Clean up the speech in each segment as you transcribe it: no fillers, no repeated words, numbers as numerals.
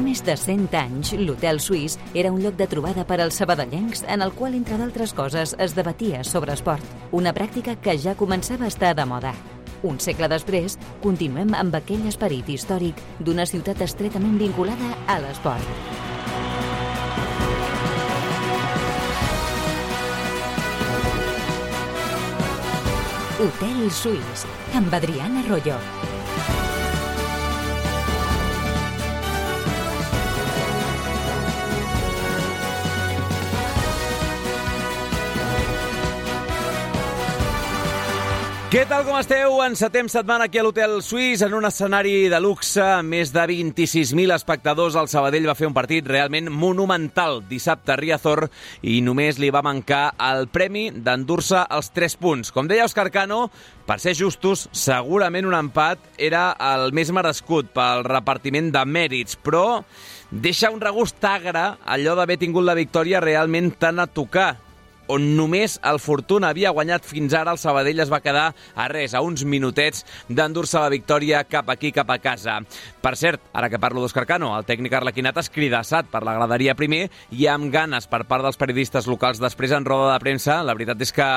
més de 100 anys, l'Hotel Suís era un lloc de trobada per als sabadellencs en el qual, entre d'altres coses, es debatia sobre esport. Una pràctica que ja començava a estar de moda. Un segle després, continuem amb aquell esperit històric d'una ciutat estretament vinculada a l'esport. Hotel Suís, amb Adriana Arroyo. Què tal, com esteu? Encetem setmana aquí a l'Hotel Suís en un escenari de luxe. Més de 26.000 espectadors. El Sabadell va fer un partit realment monumental dissabte a Riazor i només li va mancar el premi d'endur-se els 3 punts. Com deia Òscar Cano, per ser justos, segurament un empat era el més merescut pel repartiment de mèrits, però deixa un regust agre allò d'haver tingut la victòria realment tan a tocar. On només el Fortuna havia guanyat fins ara, el Sabadell es va quedar a res, a uns minutets d'endur-se la victòria cap aquí, cap a casa. Per cert, ara que parlo d'Òscar Cano, el tècnic arlequinat escridassat per la graderia primer i amb ganes per part dels periodistes locals després en roda de premsa. La veritat és que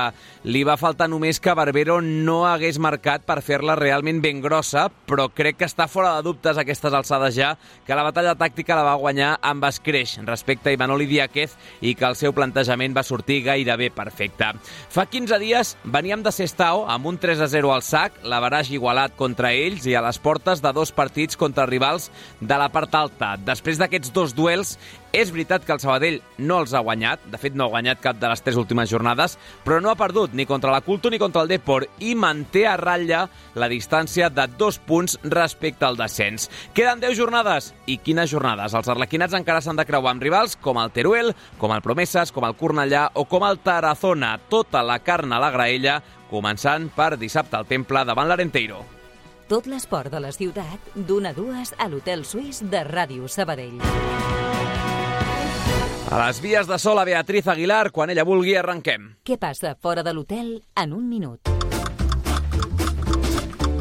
li va faltar només que Barbero no hagués marcat per fer-la realment ben grossa, però crec que està fora de dubtes a aquestes alçades ja que la batalla tàctica la va guanyar amb escreix respecte a Imanol Diáquez i que el seu plantejament va sortir gairebé perfecte. Fa 15 dies veníem de Sestao amb un 3-0 al sac, l'averaix igualat contra ells i a les portes de 2 partits contra rivals de la part alta. Després d'aquests 2 duels, és veritat que el Sabadell no els ha guanyat, de fet no ha guanyat cap de les 3 últimes jornades, però no ha perdut ni contra la Culto ni contra el Depor i manté a ratlla la distància de 2 punts respecte al descens. Queden 10 jornades. I quines jornades? Els arlequinats encara s'han de creuar amb rivals com el Teruel, com el Promesas, com el Cornellà o com el Tarazona. Tota la carn a la graella, començant per dissabte al Temple davant l'Arenteiro. Tot l'esport de la ciutat, d'1 a 2 a l'Hotel Suís de Ràdio Sabadell. A les vies de sol a Beatriz Aguilar, quan ella vulgui, arrenquem. Què passa fora de l'hotel en un minut?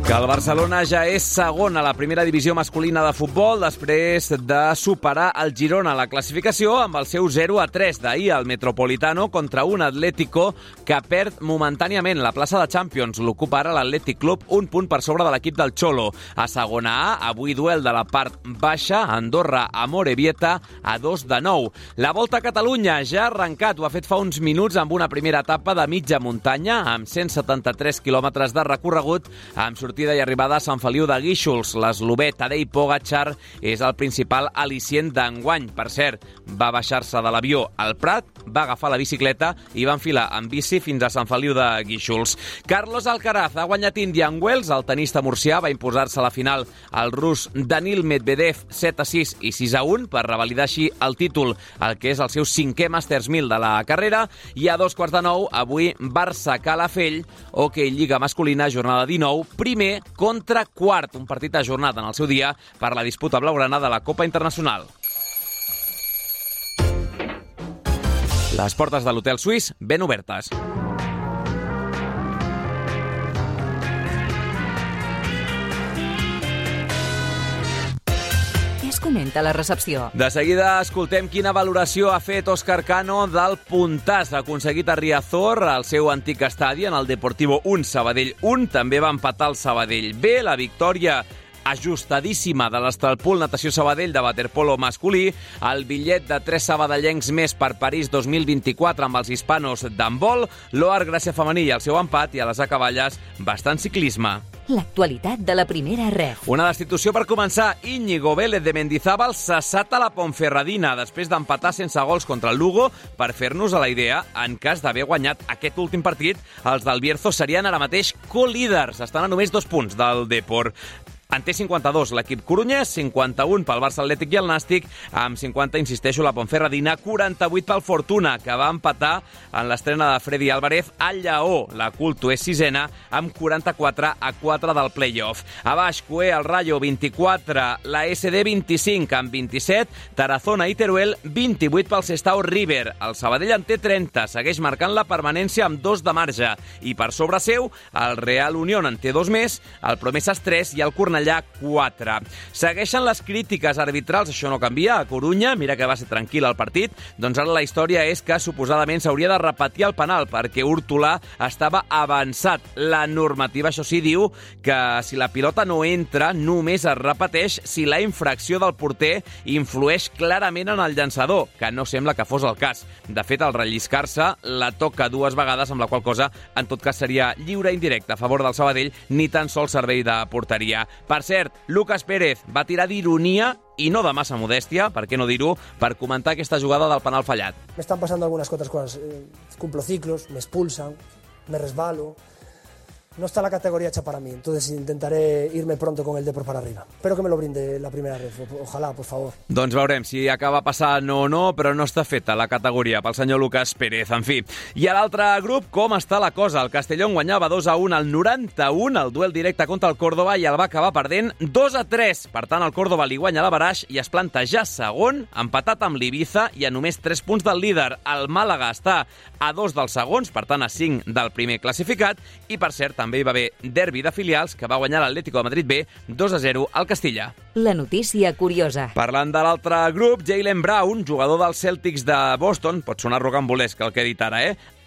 Que el Barcelona ja és segon a la primera divisió masculina de futbol després de superar el Girona a la classificació amb el seu 0-3 d'ahir al Metropolitano contra un Atlético que perd momentàniament la plaça de Champions. L'ocupa ara l'Atlètic Club, un punt per sobre de l'equip del Cholo. A segona A, avui duel de la part baixa, Andorra a Morevieta a 2-9. La Volta a Catalunya ja ha arrencat, ho ha fet fa uns minuts amb una primera etapa de mitja muntanya amb 173 quilòmetres de recorregut amb sortida i arribada a Sant Feliu de Guíxols. L'eslovè Tadej Pogačar és el principal al·licient d'enguany. Per cert, va baixar-se de l'avió al Prat, va agafar la bicicleta i va enfilar en bici fins a Sant Feliu de Guíxols. Carlos Alcaraz ha guanyat Indian Wells. El tenista murcià va imposar-se a la final al rus Danil Medvedev 7-6 i 6-1 per revalidar així el títol, el que és el seu 5è Masters 1000 de la carrera. I a 8:45, avui Barça-Calafell, hoquei Lliga masculina, jornada 19, primer contra quart, un partit ajornat en el seu dia per la disputa blaugrana de la Copa Internacional. Les portes de l'Hotel Suís ben obertes. Comenta la recepció. De seguida escoltem quina valoració ha fet Òscar Cano del puntàs aconseguit a Riazor, al seu antic estadi, en el Deportivo 1, Sabadell 1. També va empatar el Sabadell B. La victòria ajustadíssima de l'Estralpool Natació Sabadell de waterpolo masculí, el bitllet de 3 sabadellencs més per París 2024 amb els hispanos d'handbol, l'Oar Gràcia femení i el seu empat, i a les acaballes bastant ciclisme. L'actualitat de la primera ref. Una destitució per començar. Íñigo Vélez de Mendizábal cessat a la Ponferradina després d'empatar sense gols contra el Lugo. Per fer-nos a la idea, en cas d'haver guanyat aquest últim partit, els del Bierzo serien ara mateix co-líders. Estan a només 2 punts del Depor. En té 52 l'equip corunyès, 51 pel Barça Atlètic i el Nàstic, amb 50, insisteixo, la Ponferradina, 48 pel Fortuna, que va empatar en l'estrena de Freddy Álvarez al Lleó. La Culto és 6ena, amb 44-4 del play-off. A baix, Cué, el Rayo, 24, la SD 25, amb 27, Tarazona i Teruel, 28 pel Sestao River. El Sabadell en té 30, segueix marcant la permanència amb 2 de marge. I per sobre seu, el Real Unión en té 2 més, el Promesas 3 i el Cornellà Cornellà 4. Segueixen les crítiques arbitrals, això no canvia, a Corunya, mira que va ser tranquil el partit, doncs ara la història és que suposadament s'hauria de repetir el penal perquè Hurtolà estava avançat. La normativa, això sí, diu que si la pilota no entra, només es repeteix si la infracció del porter influeix clarament en el llançador, que no sembla que fos el cas. De fet, al relliscar-se, la toca 2 vegades, amb la qual cosa, en tot cas, seria lliure indirecte a favor del Sabadell, ni tan sols servei de porteria. Per cert, Lucas Pérez va tirar d'ironia i no de massa modèstia, per què no dir-ho, per comentar aquesta jugada del penal fallat. Me están pasando algunas otras cosas. Cumplo ciclos, me expulsan, me resbalo. No está la categoría hecha para mí, entonces intentaré irme pronto con el Depor para arriba. Espero que me lo brinde la primera vez, ojalá, por favor. Doncs veurem si acaba passant o no, però no està feta la categoria pel senyor Lucas Pérez, en fi. I a l'altre grup, com està la cosa? El Castellón guanyava 2-1 al 91, el duel directe contra el Córdoba, i el va acabar perdent 2-3. Per tant, el Córdoba li guanya l'Avaraix i es planta ja segon, empatat amb l'Ibiza i a només 3 punts del líder. El Màlaga està a 2 dels segons, per tant a 5 del primer classificat, i per cert, també hi va haver derbi de filials que va guanyar l'Atlético de Madrid B 2-0 al Castilla. La notícia curiosa. Parlant de l'altre grup, Jaylen Brown, jugador dels Celtics de Boston, pot sonar rocambolesc el que he dit ara,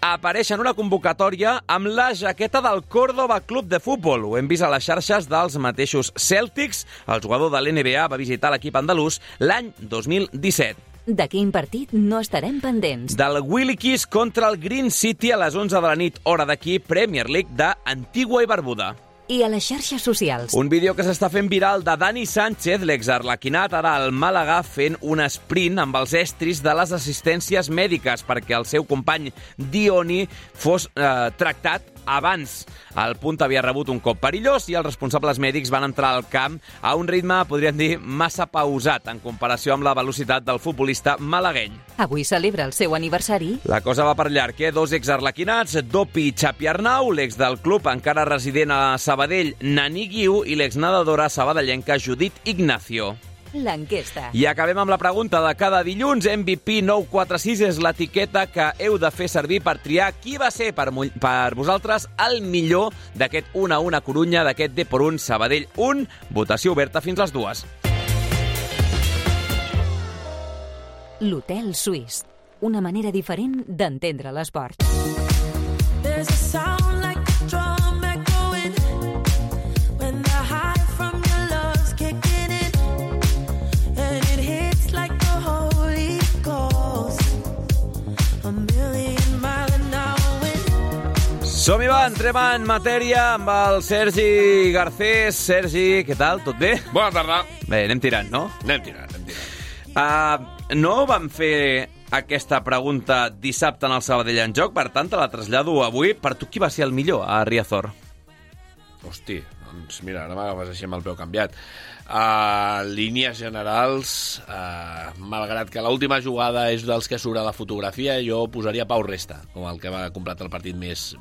apareix en una convocatòria amb la jaqueta del Córdoba Club de Futbol. Ho hem vist a les xarxes dels mateixos Celtics. El jugador de l'NBA va visitar l'equip andalús l'any 2017. De quin partit no estarem pendents? Del Willikis contra el Green City a les 11 de la nit, hora d'aquí, Premier League d'Antigua i Barbuda. I a les xarxes socials. Un vídeo que s'està fent viral de Dani Sánchez, l'exarlequinat, ara al Màlaga, fent un sprint amb els estris de les assistències mèdiques perquè el seu company Dioni fos tractat abans. El punt havia rebut un cop perillós i els responsables mèdics van entrar al camp a un ritme, podríem dir, massa pausat en comparació amb la velocitat del futbolista malagueny. Avui celebra el seu aniversari. La cosa va per llarg, 2 exarlequinats, Dopi i Xapi Arnau, l'ex del club encara resident a Sabadell, Nani Guiu, i l'exnedadora sabadellenca Judit Ignacio. L'enquesta. I acabem amb la pregunta de cada dilluns. MVP 946 és l'etiqueta que heu de fer servir per triar qui va ser per vosaltres el millor d'aquest 1-1 a Corunya, d'aquest Depor 1, Sabadell 1. Votació oberta fins les 2. L'Hotel Suís. Una manera diferent d'entendre l'esport. Som-hi, va, entrem en matèria amb el Sergi Garcés. Sergi, què tal? Tot bé? Bona tarda. Bé, anem tirant, no? Anem tirant. No vam fer aquesta pregunta dissabte en el Sabadell en joc, per tant, te la trasllado avui. Per tu, qui va ser el millor a Riazor? Hosti, doncs mira, ara m'agafes així amb el peu canviat. Línies generals, malgrat que l'última jugada és dels que surt a la fotografia, jo posaria Pau Resta, com el que va completar el partit més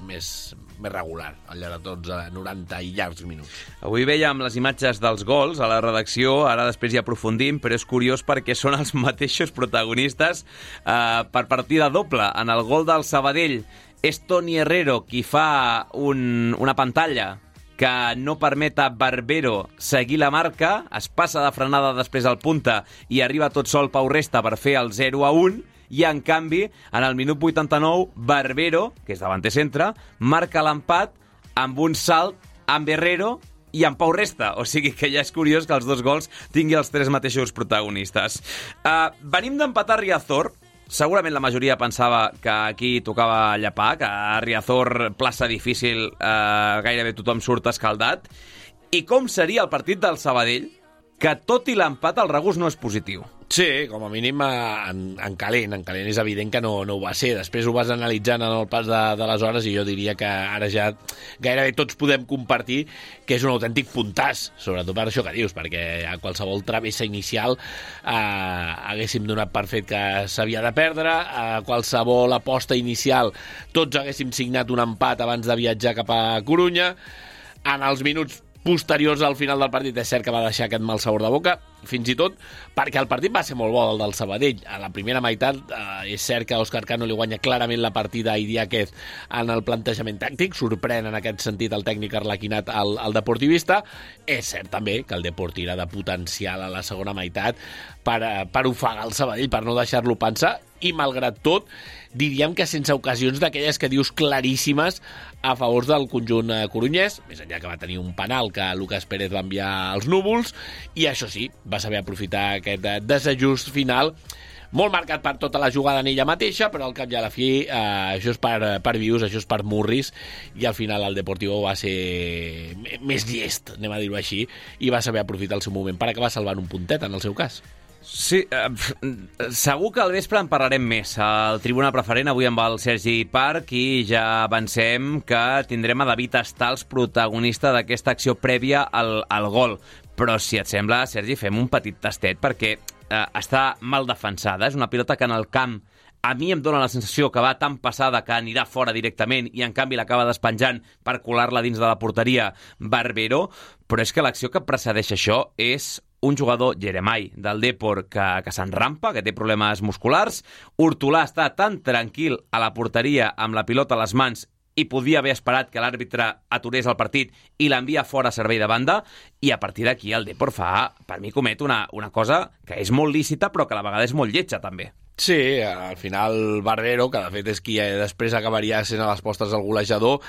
regular, al llarg de tots 90 i llargs minuts. Avui veiem les imatges dels gols a la redacció, ara després hi aprofundim, però és curiós perquè són els mateixos protagonistes per partida doble. En el gol del Sabadell és Toni Herrero qui fa una pantalla que no permet a Barbero seguir la marca, es passa de frenada després al punta i arriba tot sol Pau Resta per fer el 0-1, i en canvi, en el minut 89, Barbero, que és davanter centre, marca l'empat amb un salt amb Herrero i amb Pau Resta, o sigui que ja és curiós que els dos gols tingui els 3 mateixos protagonistes. Venim d'empatar Riazor. Segurament la majoria pensava que aquí tocava llapar, que a Riazor, plaça difícil, gairebé tothom surt escaldat. I com seria el partit del Sabadell, que tot i l'empat el regust no és positiu? Sí, com a mínim en calent és evident que no ho va ser. Després ho vas analitzant en el pas de les hores i jo diria que ara ja gairebé tots podem compartir que és un autèntic puntàs, sobretot per això que dius, perquè a qualsevol travessa inicial haguéssim donat per fet que s'havia de perdre, a qualsevol aposta inicial tots haguéssim signat un empat abans de viatjar cap a Corunya. En els minuts posteriors al final del partit. És cert que va deixar aquest mal sabor de boca, fins i tot perquè el partit va ser molt bo, el del Sabadell. A la primera meitat és cert que Òscar Cano li guanya clarament la partida a Idiáquez en el plantejament tàctic, sorprèn en aquest sentit el tècnic arlequinat al deportivista. És cert també que el Depor tira de potencial a la segona meitat per ofegar el Sabadell, per no deixar-lo pensar, i malgrat tot diríem que sense ocasions d'aquelles que dius claríssimes a favor del conjunt corunyès, més enllà que va tenir un penal que Lucas Pérez va enviar als núvols, i això sí, va saber aprofitar aquest desajust final, molt marcat per tota la jugada en ella mateixa, però al cap i a la fi això és per vius, això és per murris, i al final el Deportivo va ser més llest, anem a dir-ho així, i va saber aprofitar el seu moment per acabar salvant un puntet en el seu cas. Sí, segur que al vespre en parlarem més. Al Tribuna Preferent avui amb el Sergi Parc, i ja avancem que tindrem a David Stals, protagonista d'aquesta acció prèvia al gol. Però si et sembla, Sergi, fem un petit tastet perquè està mal defensada. És una pilota que en el camp a mi em dóna la sensació que va tan passada que anirà fora directament i en canvi l'acaba despenjant per colar-la dins de la porteria Barbero, però és que l'acció que precedeix això és un jugador, Jeremai, del Depor, que s'enrampa, que té problemes musculars. Hortolà està tan tranquil a la porteria amb la pilota a les mans i podia haver esperat que l'àrbitre aturés el partit i l'envia fora a servei de banda, i a partir d'aquí el Depor per mi comet una cosa que és molt lícita però que a la vegada és molt lletja també. Sí, al final Barbero, que de fet és qui després acabaria sent a les postres el golejador,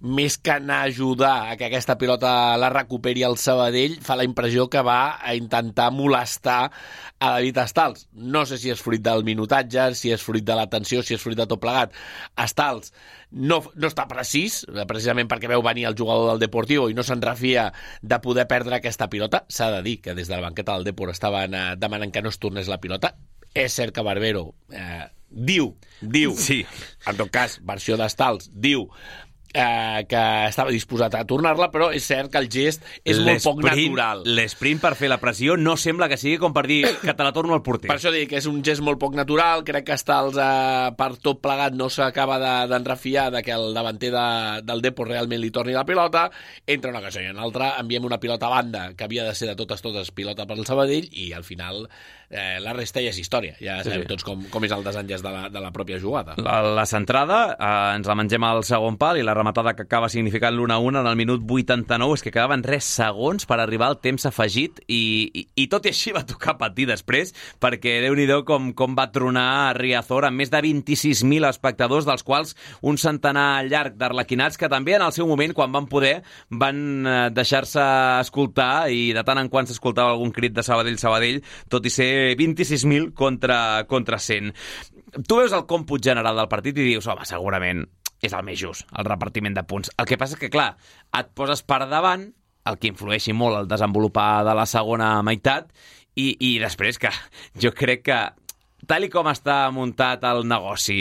més que anar a ajudar a que aquesta pilota la recuperi el Sabadell, fa la impressió que va a intentar molestar a David Stals. No sé si és fruit del minutatge, si és fruit de la tensió, si és fruit de tot plegat. Stals no està precís, precisament perquè veu venir el jugador del Deportivo i no se'n refia de poder perdre aquesta pilota. S'ha de dir que des de la banqueta del Depor estaven demanant que no es tornés la pilota. És cert que Barbero diu, sí. En tot cas, versió d'Stals, diu que estava disposat a tornar-la, però és cert que el gest és molt poc natural. L'esprint per fer la pressió no sembla que sigui com per dir que te la torno al porter. Per això dic que és un gest molt poc natural. Crec que Stals, per tot plegat, no s'acaba d'enrefiar de que el davanter del Depor realment li torni la pilota. Entre una cosa i una altra, enviem una pilota a banda, que havia de ser de totes pilota per al Sabadell, i al final la resta ja és història. Ja sabem tots com és el desenllaç de la pròpia jugada. La centrada ens la mengem al segon pal, i la rematada que acaba significant l'1-1 en el minut 89 és que quedaven 3 segons per arribar al temps afegit, i tot i així va tocar patir després, perquè Déu-n'hi-do com va tronar Riazor amb més de 26.000 espectadors, dels quals un centenar llarg d'arlequinats que també en el seu moment, quan van poder, van deixar-se escoltar, i de tant en quant s'escoltava algun crit de Sabadell, tot i ser 26.000 contra 100. Tu veus el còmput general del partit i dius, home, segurament és el més just, el repartiment de punts. El que passa és que, clar, et poses per davant, el que influeixi molt el desenvolupar de la segona meitat, i després que jo crec que tal i com està muntat el negoci,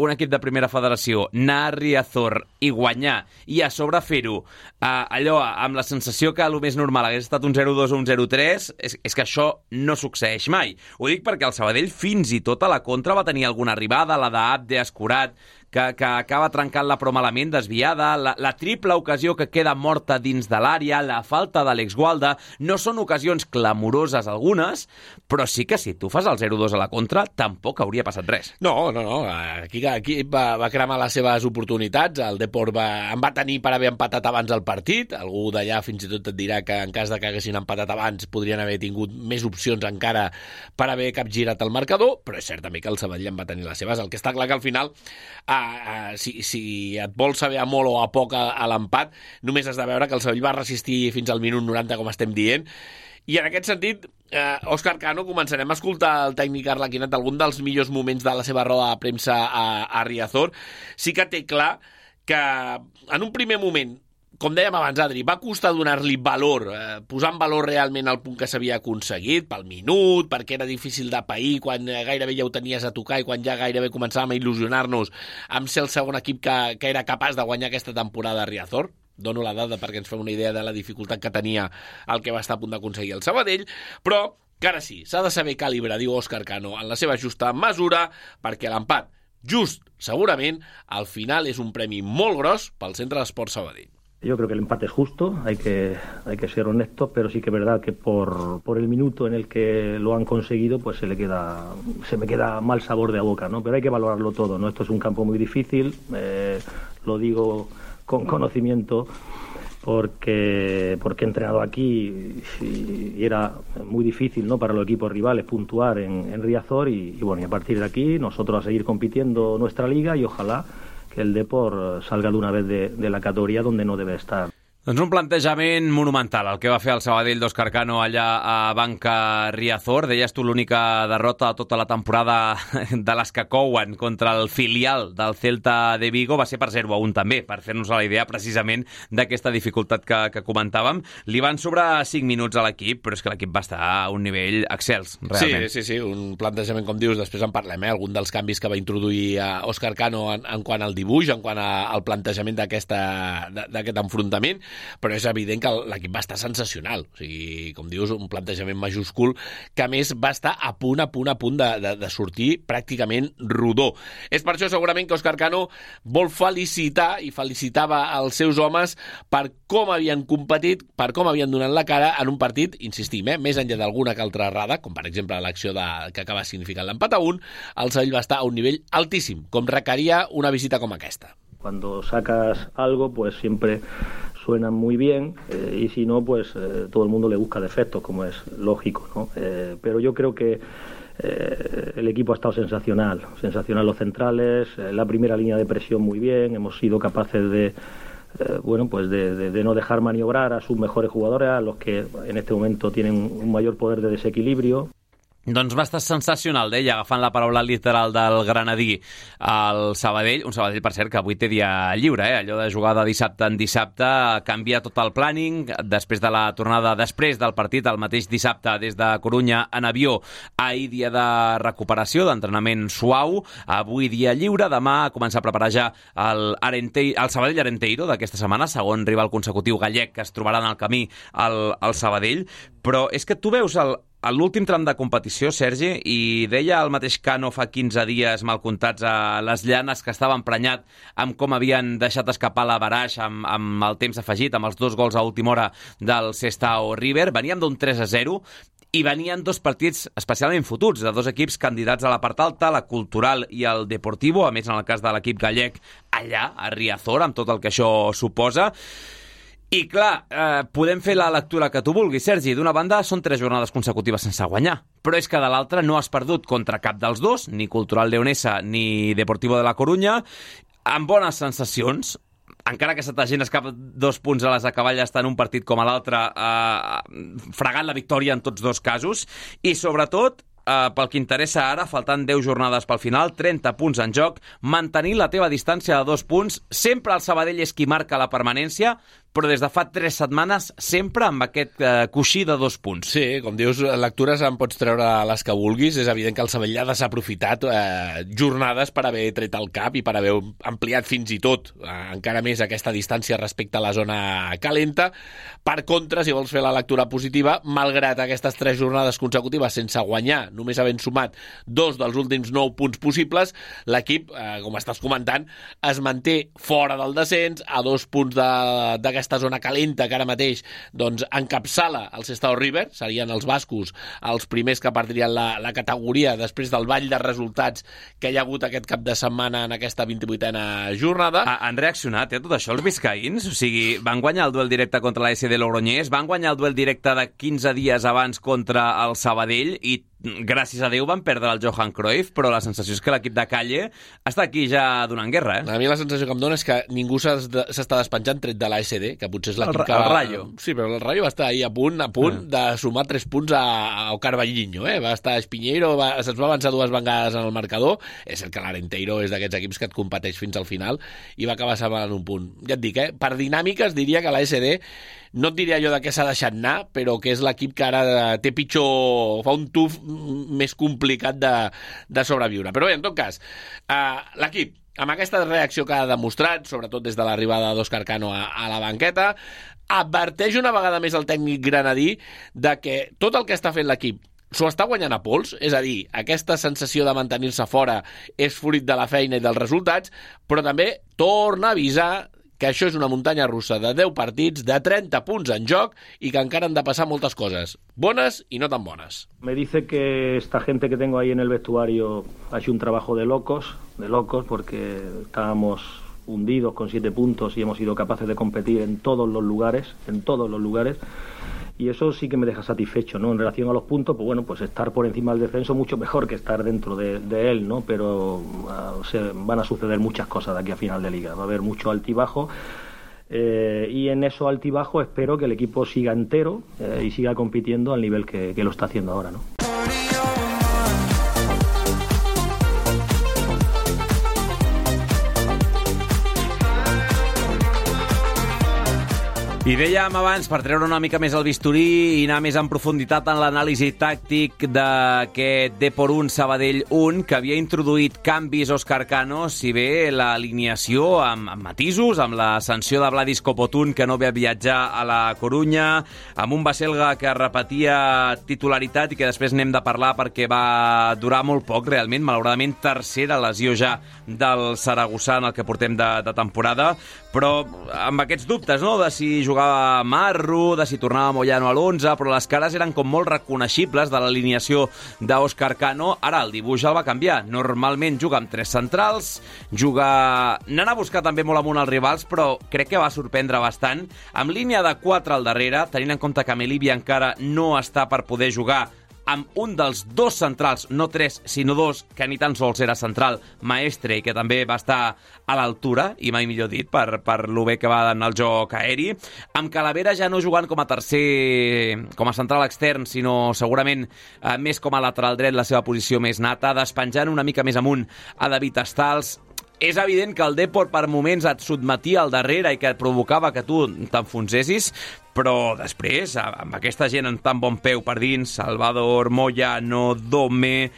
un equip de primera federació, anar a Riazor i guanyar, i a sobre fer-ho allò amb la sensació que el més normal hagués estat un 0-2 o un 0-3, és que això no succeeix mai. Ho dic perquè el Sabadell fins i tot a la contra va tenir alguna arribada, la d'Abde Escurat, que acaba trencant la però malament, desviada, la triple ocasió que queda morta dins de l'àrea, la falta d'Àlex Gualda. No són ocasions clamoroses algunes, però sí que si tu fas el 0-2 a la contra, tampoc hauria passat res. No. Aquí va cremar les seves oportunitats. El Depor en va tenir per haver empatat abans el partit. Algú d'allà fins i tot et dirà que en cas de que haguessin empatat abans podrien haver tingut més opcions encara per haver capgirat el marcador, però és cert també que el Sabadell en va tenir les seves. El que està clar que al final si et vols saber a molt o a poc a l'empat, només has de veure que el Sabadell va resistir fins al minut 90, com estem dient, i en aquest sentit, Òscar Cano, començarem a escoltar el tècnic arlequinat algun dels millors moments de la seva roda de premsa a Riazor. Sí que té clar que en un primer moment, com dèiem abans, Adri, va costar donar-li valor, posar en valor realment el punt que s'havia aconseguit, pel minut, perquè era difícil de pair, quan gairebé ja ho tenies a tocar i quan ja gairebé començàvem a il·lusionar-nos amb ser el segon equip que era capaç de guanyar aquesta temporada a Riazor. Dono la dada perquè ens fem una idea de la dificultat que tenia el que va estar a punt d'aconseguir el Sabadell, però que ara sí, s'ha de saber calibrar, diu Òscar Cano, en la seva justa mesura, perquè l'empat, just, segurament, al final és un premi molt gros pel Centre d'Esports Sabadell. Yo creo que el empate es justo, hay que ser honestos, pero sí que es verdad que por el minuto en el que lo han conseguido, pues se me queda mal sabor de boca, ¿no? Pero hay que valorarlo todo, ¿no? Esto es un campo muy difícil, lo digo con conocimiento, porque he entrenado aquí y era muy difícil, ¿no?, para los equipos rivales puntuar en Riazor y bueno, y a partir de aquí nosotros a seguir compitiendo nuestra liga y ojalá que el Depor salga de una vez de la categoría donde no debe estar. Doncs un plantejament monumental, el que va fer el Sabadell d'Òscar Cano allà a Banca Riazor. Deies tu l'única derrota de tota la temporada de les que couen contra el filial del Celta de Vigo va ser per 0-1 també, per fer-nos la idea precisament d'aquesta dificultat que comentàvem. Li van sobrar 5 minuts a l'equip, però és que l'equip va estar a un nivell excels, realment. Sí, un plantejament, com dius, després en parlem, algun dels canvis que va introduir Òscar Cano en quant al dibuix, en quant al plantejament d'aquest enfrontament, però és evident que l'equip va estar sensacional. O sigui, com dius, un plantejament majúscul que a més va estar a punt de sortir pràcticament rodó. És per això segurament que Òscar Cano vol felicitar i felicitava els seus homes per com havien competit, per com havien donat la cara en un partit, insistim, més enllà d'alguna que altra errada, com per exemple l'acció que acaba significant l'empat a 1, el Sabadell va estar a un nivell altíssim, com requeria una visita com aquesta. Cuando sacas algo, pues siempre suenan muy bien y si no, pues todo el mundo le busca defectos, como es lógico, ¿no? Pero yo creo que el equipo ha estado sensacional los centrales, la primera línea de presión muy bien, hemos sido capaces de no dejar maniobrar a sus mejores jugadores, a los que en este momento tienen un mayor poder de desequilibrio. Doncs va estar sensacional, deia, agafant la paraula literal del granadí al Sabadell, un Sabadell, per cert, que avui té dia lliure, allò de jugar de dissabte en dissabte, canvia tot el planning, després de la tornada, després del partit, el mateix dissabte, des de Corunya en avió, ahir dia de recuperació, d'entrenament suau, avui dia lliure, demà comença a preparar ja el Sabadell Arenteiro d'aquesta setmana, segon rival consecutiu gallec que es trobarà en el camí al Sabadell, però és que tu veus l'últim tram de competició, Sergi, i deia el mateix Cano fa 15 dies mal comptats a les Llanes que estava emprenyat amb com havien deixat escapar la Baraix amb el temps afegit, amb els 2 gols a última hora del Sestao River. Veníem d'un 3-0 i venien 2 partits especialment fotuts, de 2 equips candidats a la part alta, la Cultural i el Deportivo, a més en el cas de l'equip gallec allà, a Riazor, amb tot el que això suposa. I clar, podem fer la lectura que tu vulguis, Sergi. D'una banda, són 3 jornades consecutives sense guanyar, però és que de l'altra no has perdut contra cap dels dos, ni Cultural Leonesa ni Deportivo de la Corunya, amb bones sensacions, encara que se t'hagin escapat 2 punts a les acaballes tant un partit com a l'altre, fregant la victòria en tots 2 casos, i sobretot, pel que interessa ara, faltant 10 jornades pel final, 30 punts en joc, mantenir la teva distància de 2 punts, sempre el Sabadell és qui marca la permanència, però des de fa 3 setmanes sempre amb aquest coixí de 2 punts. Sí, com dius, lectures en pots treure les que vulguis. És evident que el Sabadell ha desaprofitat jornades per haver tret el cap i per haver ampliat fins i tot encara més aquesta distància respecte a la zona calenta. Per contra, si vols fer la lectura positiva, malgrat aquestes 3 jornades consecutives sense guanyar, només havent sumat 2 dels últims 9 punts possibles, l'equip, com estàs comentant, es manté fora del descens, a 2 punts d'aquesta zona calenta que ara mateix doncs, encapçala el Sestao River, serien els bascos els primers que perdrien la categoria després del ball de resultats que hi ha hagut aquest cap de setmana en aquesta 28a jornada. Han reaccionat a tot això els biscaïns? O sigui, van guanyar el duel directe contra la SD Logroñés, van guanyar el duel directe de 15 dies abans contra el Sabadell i gràcies a Déu van perdre el Johan Cruyff, però la sensació és que l'equip de Calle està aquí ja donant guerra, A mi la sensació que em dona és que ningú s'està despenjant tret de l'ASD, que potser és l'equip que... El Rayo. Sí, però el Rayo va estar ahir a punt de sumar 3 punts a Carballinho, Va estar Espiñeiro, se'ns va avançar 2 vegades en el marcador. És el que l'Arenteiro és d'aquests equips que et competeix fins al final i va acabar salvant un punt. Ja et dic, per dinàmiques diria que l'ASD no et diria allò de què s'ha deixat anar, però que és l'equip que ara té pitjor, fa un tuf més complicat de sobreviure. Però bé, en tot cas, l'equip, amb aquesta reacció que ha demostrat, sobretot des de l'arribada d'Òscar Cano a la banqueta, adverteix una vegada més el tècnic granadí de que tot el que està fent l'equip s'ho està guanyant a pols, és a dir, aquesta sensació de mantenir-se fora és fruit de la feina i dels resultats, però també torna a avisar que això és una muntanya russa de 10 partits, de 30 punts en joc i que encara han de passar moltes coses, bones i no tan bones. Me dice que esta gente que tengo ahí en el vestuario ha hecho un trabajo de locos, porque estábamos hundidos con 7 puntos y hemos sido capaces de competir en todos los lugares, y eso sí que me deja satisfecho, ¿no? En relación a los puntos, pues bueno, pues estar por encima del descenso mucho mejor que estar dentro de él, ¿no? Pero van a suceder muchas cosas de aquí a final de liga, va a haber mucho altibajo, y en eso altibajo espero que el equipo siga entero y siga compitiendo al nivel que lo está haciendo ahora, ¿no? I dèiem abans, per treure una mica més el bisturí i anar més en profunditat en l'anàlisi tàctic d'aquest Depor 1, Sabadell 1, que havia introduït canvis Óscar Cano, si bé l'alineació amb matisos, amb la sanció de Vladis Copotún, que no ve a viatjar a la Corunya, amb un Baselga que repetia titularitat i que després n'hem de parlar perquè va durar molt poc, realment, malauradament tercera lesió ja del Saragossa en el que portem de temporada, però amb aquests dubtes, no?, de si jugava Marro, de si tornava Moyano a l'11, però les cares eren com molt reconeixibles de l'alineació d'Óscar Cano. Ara el dibuix el va canviar. Normalment juga amb 3 centrals, n'han a buscar també molt amunt els rivals, però crec que va sorprendre bastant, amb línia de 4 al darrere, tenint en compte que Melibi encara no està per poder jugar, amb un dels 2 centrals, no 3, sinó 2, que ni tan sols era central, Maestre, i que també va estar a l'altura, i mai millor dit, per lo bé que va anar el joc aeri, amb Calavera ja no jugant com a tercer, com a central extern, sinó segurament més com a lateral dret, la seva posició més nata, despenjant una mica més amunt a David Stals. És evident que el Depor per moments et sotmetia al darrere i que et provocava que tu t'enfonsessis, però després, amb aquesta gent en tan bon peu per dins, Salvador, Moyano, Dome,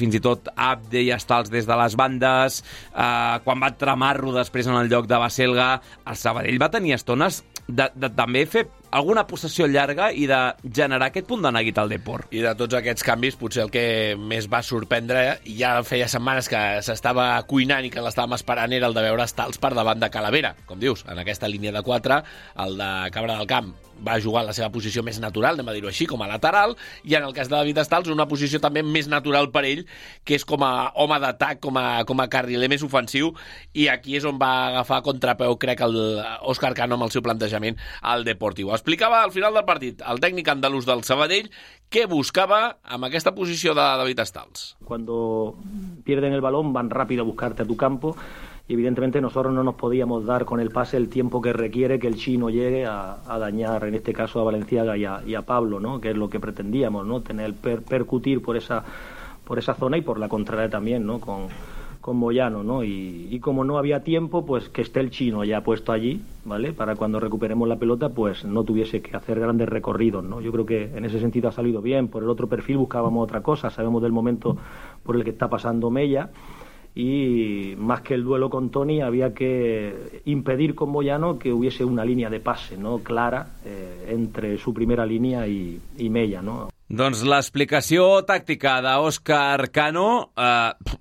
fins i tot Abde i Stals des de les bandes, quan va entrar Marro després en el lloc de Baselga, el Sabadell va tenir estones de també fer alguna possessió llarga i de generar aquest punt de neguit al Depor. I de tots aquests canvis, potser el que més va sorprendre, ja feia setmanes que s'estava cuinant i que l'estàvem esperant, era el de veure Stals per davant de Calavera. Com dius, en aquesta línia de 4, el de Cabra del Camp va jugar en la seva posició més natural, anem a dir-ho així, com a lateral, i en el cas de David Stals, una posició també més natural per ell, que és com a home d'atac, com a carriler més ofensiu, i aquí és on va agafar contrapeu, crec, Óscar Cano amb el seu plantejament al Deportivo. Explicava al final del partit el tècnic andalús del Sabadell què buscava amb aquesta posició de David Stals. Cuando pierden el balón van rápido a buscarte a tu campo, y evidentemente nosotros no nos podíamos dar con el pase el tiempo que requiere que el chino llegue a dañar, en este caso a Valenciaga y a Pablo, ¿no? Que es lo que pretendíamos, ¿no? Tener percutir por esa zona y por la contraria también, ¿no? Con Moyano, ¿no? Y como no había tiempo, pues que esté el chino ya puesto allí, ¿vale? Para cuando recuperemos la pelota, pues no tuviese que hacer grandes recorridos, ¿no? Yo creo que en ese sentido ha salido bien. Por el otro perfil buscábamos otra cosa, sabemos del momento por el que está pasando Mella, y más que el duelo con Toni había que impedir con Moyano que hubiese una línea de pase, ¿no?, clara entre su primera línea y Mella, ¿no? Doncs l'explicació tàctica d'Óscar Cano,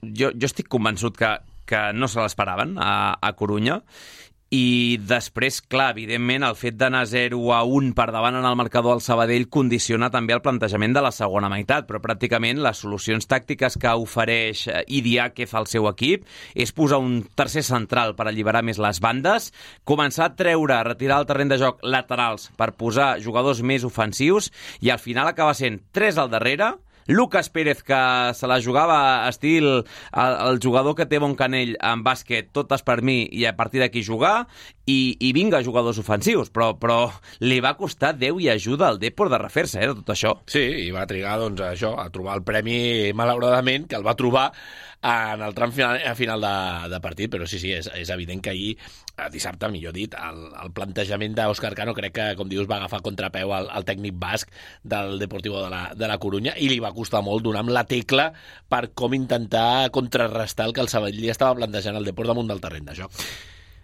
jo estic convençut que no se l'esperaven a Corunya, i després, clar, evidentment, el fet d'anar 0-1 per davant en el marcador al Sabadell condiciona també el plantejament de la segona meitat, però pràcticament les solucions tàctiques que ofereix Idiáquez al seu equip és posar un tercer central per alliberar més les bandes, començar a retirar el terreny de joc laterals per posar jugadors més ofensius, i al final acaba sent 3 al darrere, Lucas Pérez, que se la jugava estil el jugador que té bon canell en bàsquet, totes per mi, i a partir d'aquí jugar, i vinga jugadors ofensius, però li va costar Déu i ajuda al Depor de refer-se, de tot això. Sí, i va trigar, doncs, això, a trobar el premi, malauradament, que el va trobar en el tram final de partit, però sí, és evident que ahir, dissabte, millor dit, el plantejament d'Óscar Cano crec que, com dius, va agafar contrapeu al tècnic basc del Deportivo de la Corunya, i li va costar molt donar amb la tecla per com intentar contrarrestar el que el Sabadell estava plantejant al Depor damunt del terreny de joc.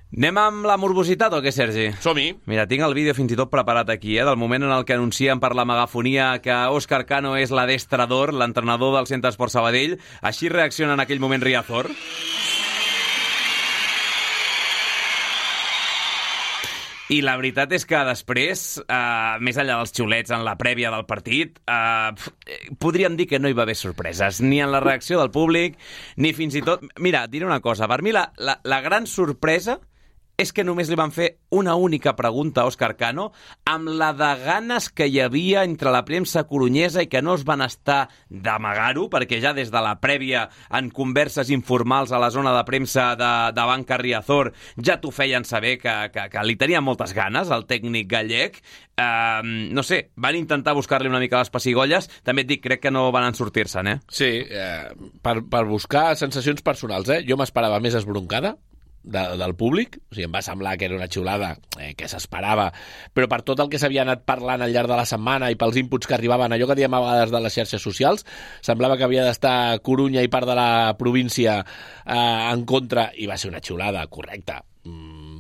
Anem amb la morbositat o què, Sergi? Som-hi. Mira, tinc el vídeo fins i tot preparat aquí, del moment en el que anuncien per la megafonia que Óscar Cano és l'adestrador, l'entrenador del Centre Esport Sabadell. Així reacciona en aquell moment Riazor. I la veritat és que després, més enllà dels xiulets en la prèvia del partit, podríem dir que no hi va haver sorpreses, ni en la reacció del públic, ni fins i tot... Mira, et diré una cosa, per mi la gran sorpresa és que només li van fer una única pregunta a Óscar Cano, amb la de ganes que hi havia entre la premsa corunyesa i que no es van estar d'amagar-ho, perquè ja des de la prèvia, en converses informals a la zona de premsa de Banca Riazor, ja t'ho feien saber que li tenia moltes ganes, el tècnic gallec. No sé, van intentar buscar-li una mica les pessigolles, també et dic, crec que no van en sortir-se'n, Sí, per buscar sensacions personals, Jo m'esperava més esbroncada del públic, o sigui, em va semblar que era una xiulada que s'esperava, però per tot el que s'havia anat parlant al llarg de la setmana i pels inputs que arribaven, allò que diem a vegades de les xarxes socials, semblava que havia d'estar Corunya i part de la província en contra, i va ser una xiulada correcta,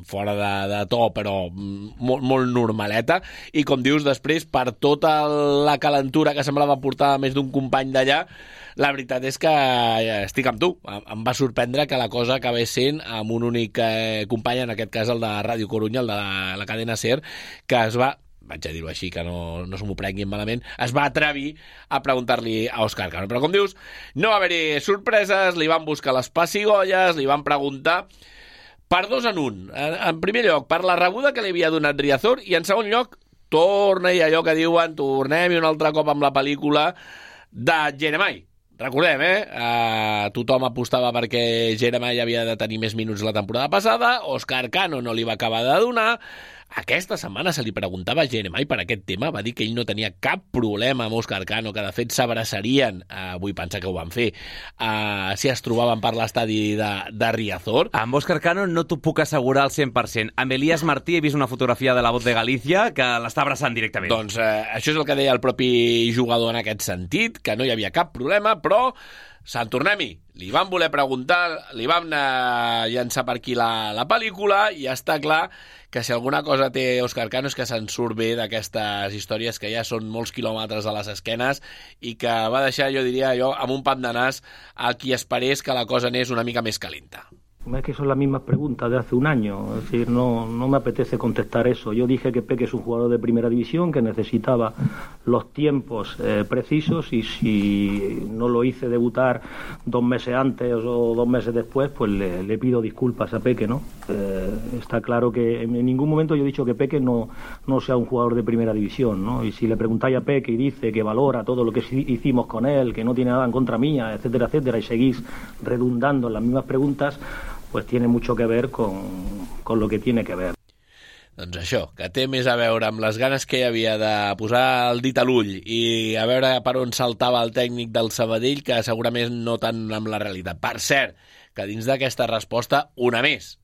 fora de to, però molt, molt normaleta, i com dius, després, per tota la calentura que semblava portar més d'un company d'allà, la veritat és que estic amb tu. Em va sorprendre que la cosa acabés sent amb un únic company, en aquest cas el de Ràdio Corunya, el de la cadena SER, que es va, vaig a dir-ho així, que no se m'ho prenguin malament, es va atrevir a preguntar-li a Óscar Cano. Però com dius, no va haver-hi sorpreses, li van buscar les pessigolles, li van preguntar per 2 en 1. En primer lloc, per la rebuda que li havia donat Riazor, i en segon lloc, torna i allò que diuen, tornem-hi un altre cop amb la pel·lícula de Jeremai. Recordem, tothom apostava perquè Jeremai havia de tenir més minuts la temporada passada, Óscar Cano no li va acabar de donar. Aquesta setmana se li preguntava a Jeremai per aquest tema, va dir que ell no tenia cap problema amb Óscar Cano, que de fet s'abraçarien, vull pensar que ho van fer, si es trobaven per l'estadi de Riazor. Amb Óscar Cano no t'ho puc assegurar al 100%. Amb Elías Martí he vist una fotografia de La Voz de Galícia que l'està abraçant directament. Doncs això és el que deia el propi jugador en aquest sentit, que no hi havia cap problema, però Sant Tornem-hi, li van voler preguntar, li van llançar per aquí la pel·lícula, i està clar que si alguna cosa té Óscar Cano és que se'n surt bé d'aquestes històries que ja són molts quilòmetres a les esquenes i que va deixar, jo diria, amb un pam de nas a qui esperés que la cosa anés una mica més calenta. Es que son las mismas preguntas de hace un año, es decir, no me apetece contestar eso. Yo dije que Peque es un jugador de primera división, que necesitaba los tiempos precisos, y si no lo hice debutar 2 meses antes o 2 meses después, pues le pido disculpas a Peque, ¿no? Está claro que en ningún momento yo he dicho que Peque no sea un jugador de primera división, ¿no? Y si le preguntáis a Peque y dice que valora todo lo que hicimos con él, que no tiene nada en contra mía, etcétera, etcétera, y seguís redundando en las mismas preguntas, pues tiene mucho que ver con lo que tiene que ver. Doncs això, que té més a veure amb les ganes que hi havia de posar el dit a l'ull i a veure per on saltava el tècnic del Sabadell, que segurament no tant amb la realitat. Per cert, que dins d'aquesta resposta, una més.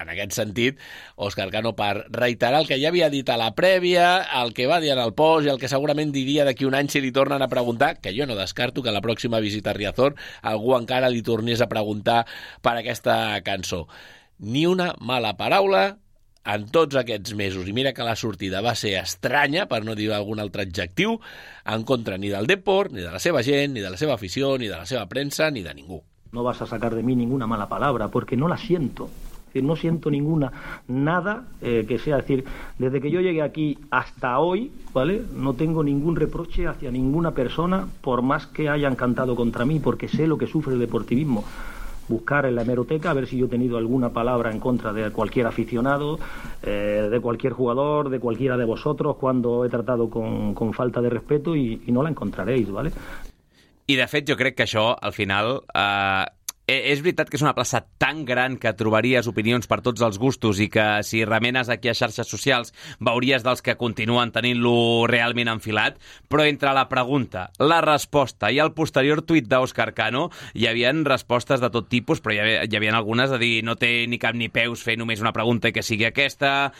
En aquest sentit, Óscar Cano, per reiterar el que ja havia dit a la prèvia, el que va dir en el post i el que segurament diria d'aquí un any si li tornen a preguntar, que jo no descarto que a la pròxima visita a Riazor algú encara li tornés a preguntar per aquesta cançó. Ni una mala paraula en tots aquests mesos, i mira que la sortida va ser estranya, per no dir algun altre adjectiu, en contra ni del Depor, ni de la seva gent, ni de la seva afició, ni de la seva premsa, ni de ningú. No vas a sacar de mí ninguna mala palabra, porque no la siento. No siento nada que sea, decir, desde que yo llegué aquí hasta hoy, ¿vale? No tengo ningún reproche hacia ninguna persona, por más que hayan cantado contra mí, porque sé lo que sufre el deportivismo. Buscar en la hemeroteca a ver si yo he tenido alguna palabra en contra de cualquier aficionado, de cualquier jugador, de cualquiera de vosotros, cuando he tratado con falta de respeto, y no la encontraréis, ¿vale? I de fet jo crec que això, al final... És veritat que és una plaça tan gran que trobaries opinions per tots els gustos i que si remenes aquí a xarxes socials veuries dels que continuen tenint-lo realment enfilat, però entre la pregunta, la resposta i el posterior tuit d'Óscar Cano hi havia respostes de tot tipus, però hi havia algunes de dir no té ni cap ni peus fer només una pregunta i que sigui aquesta,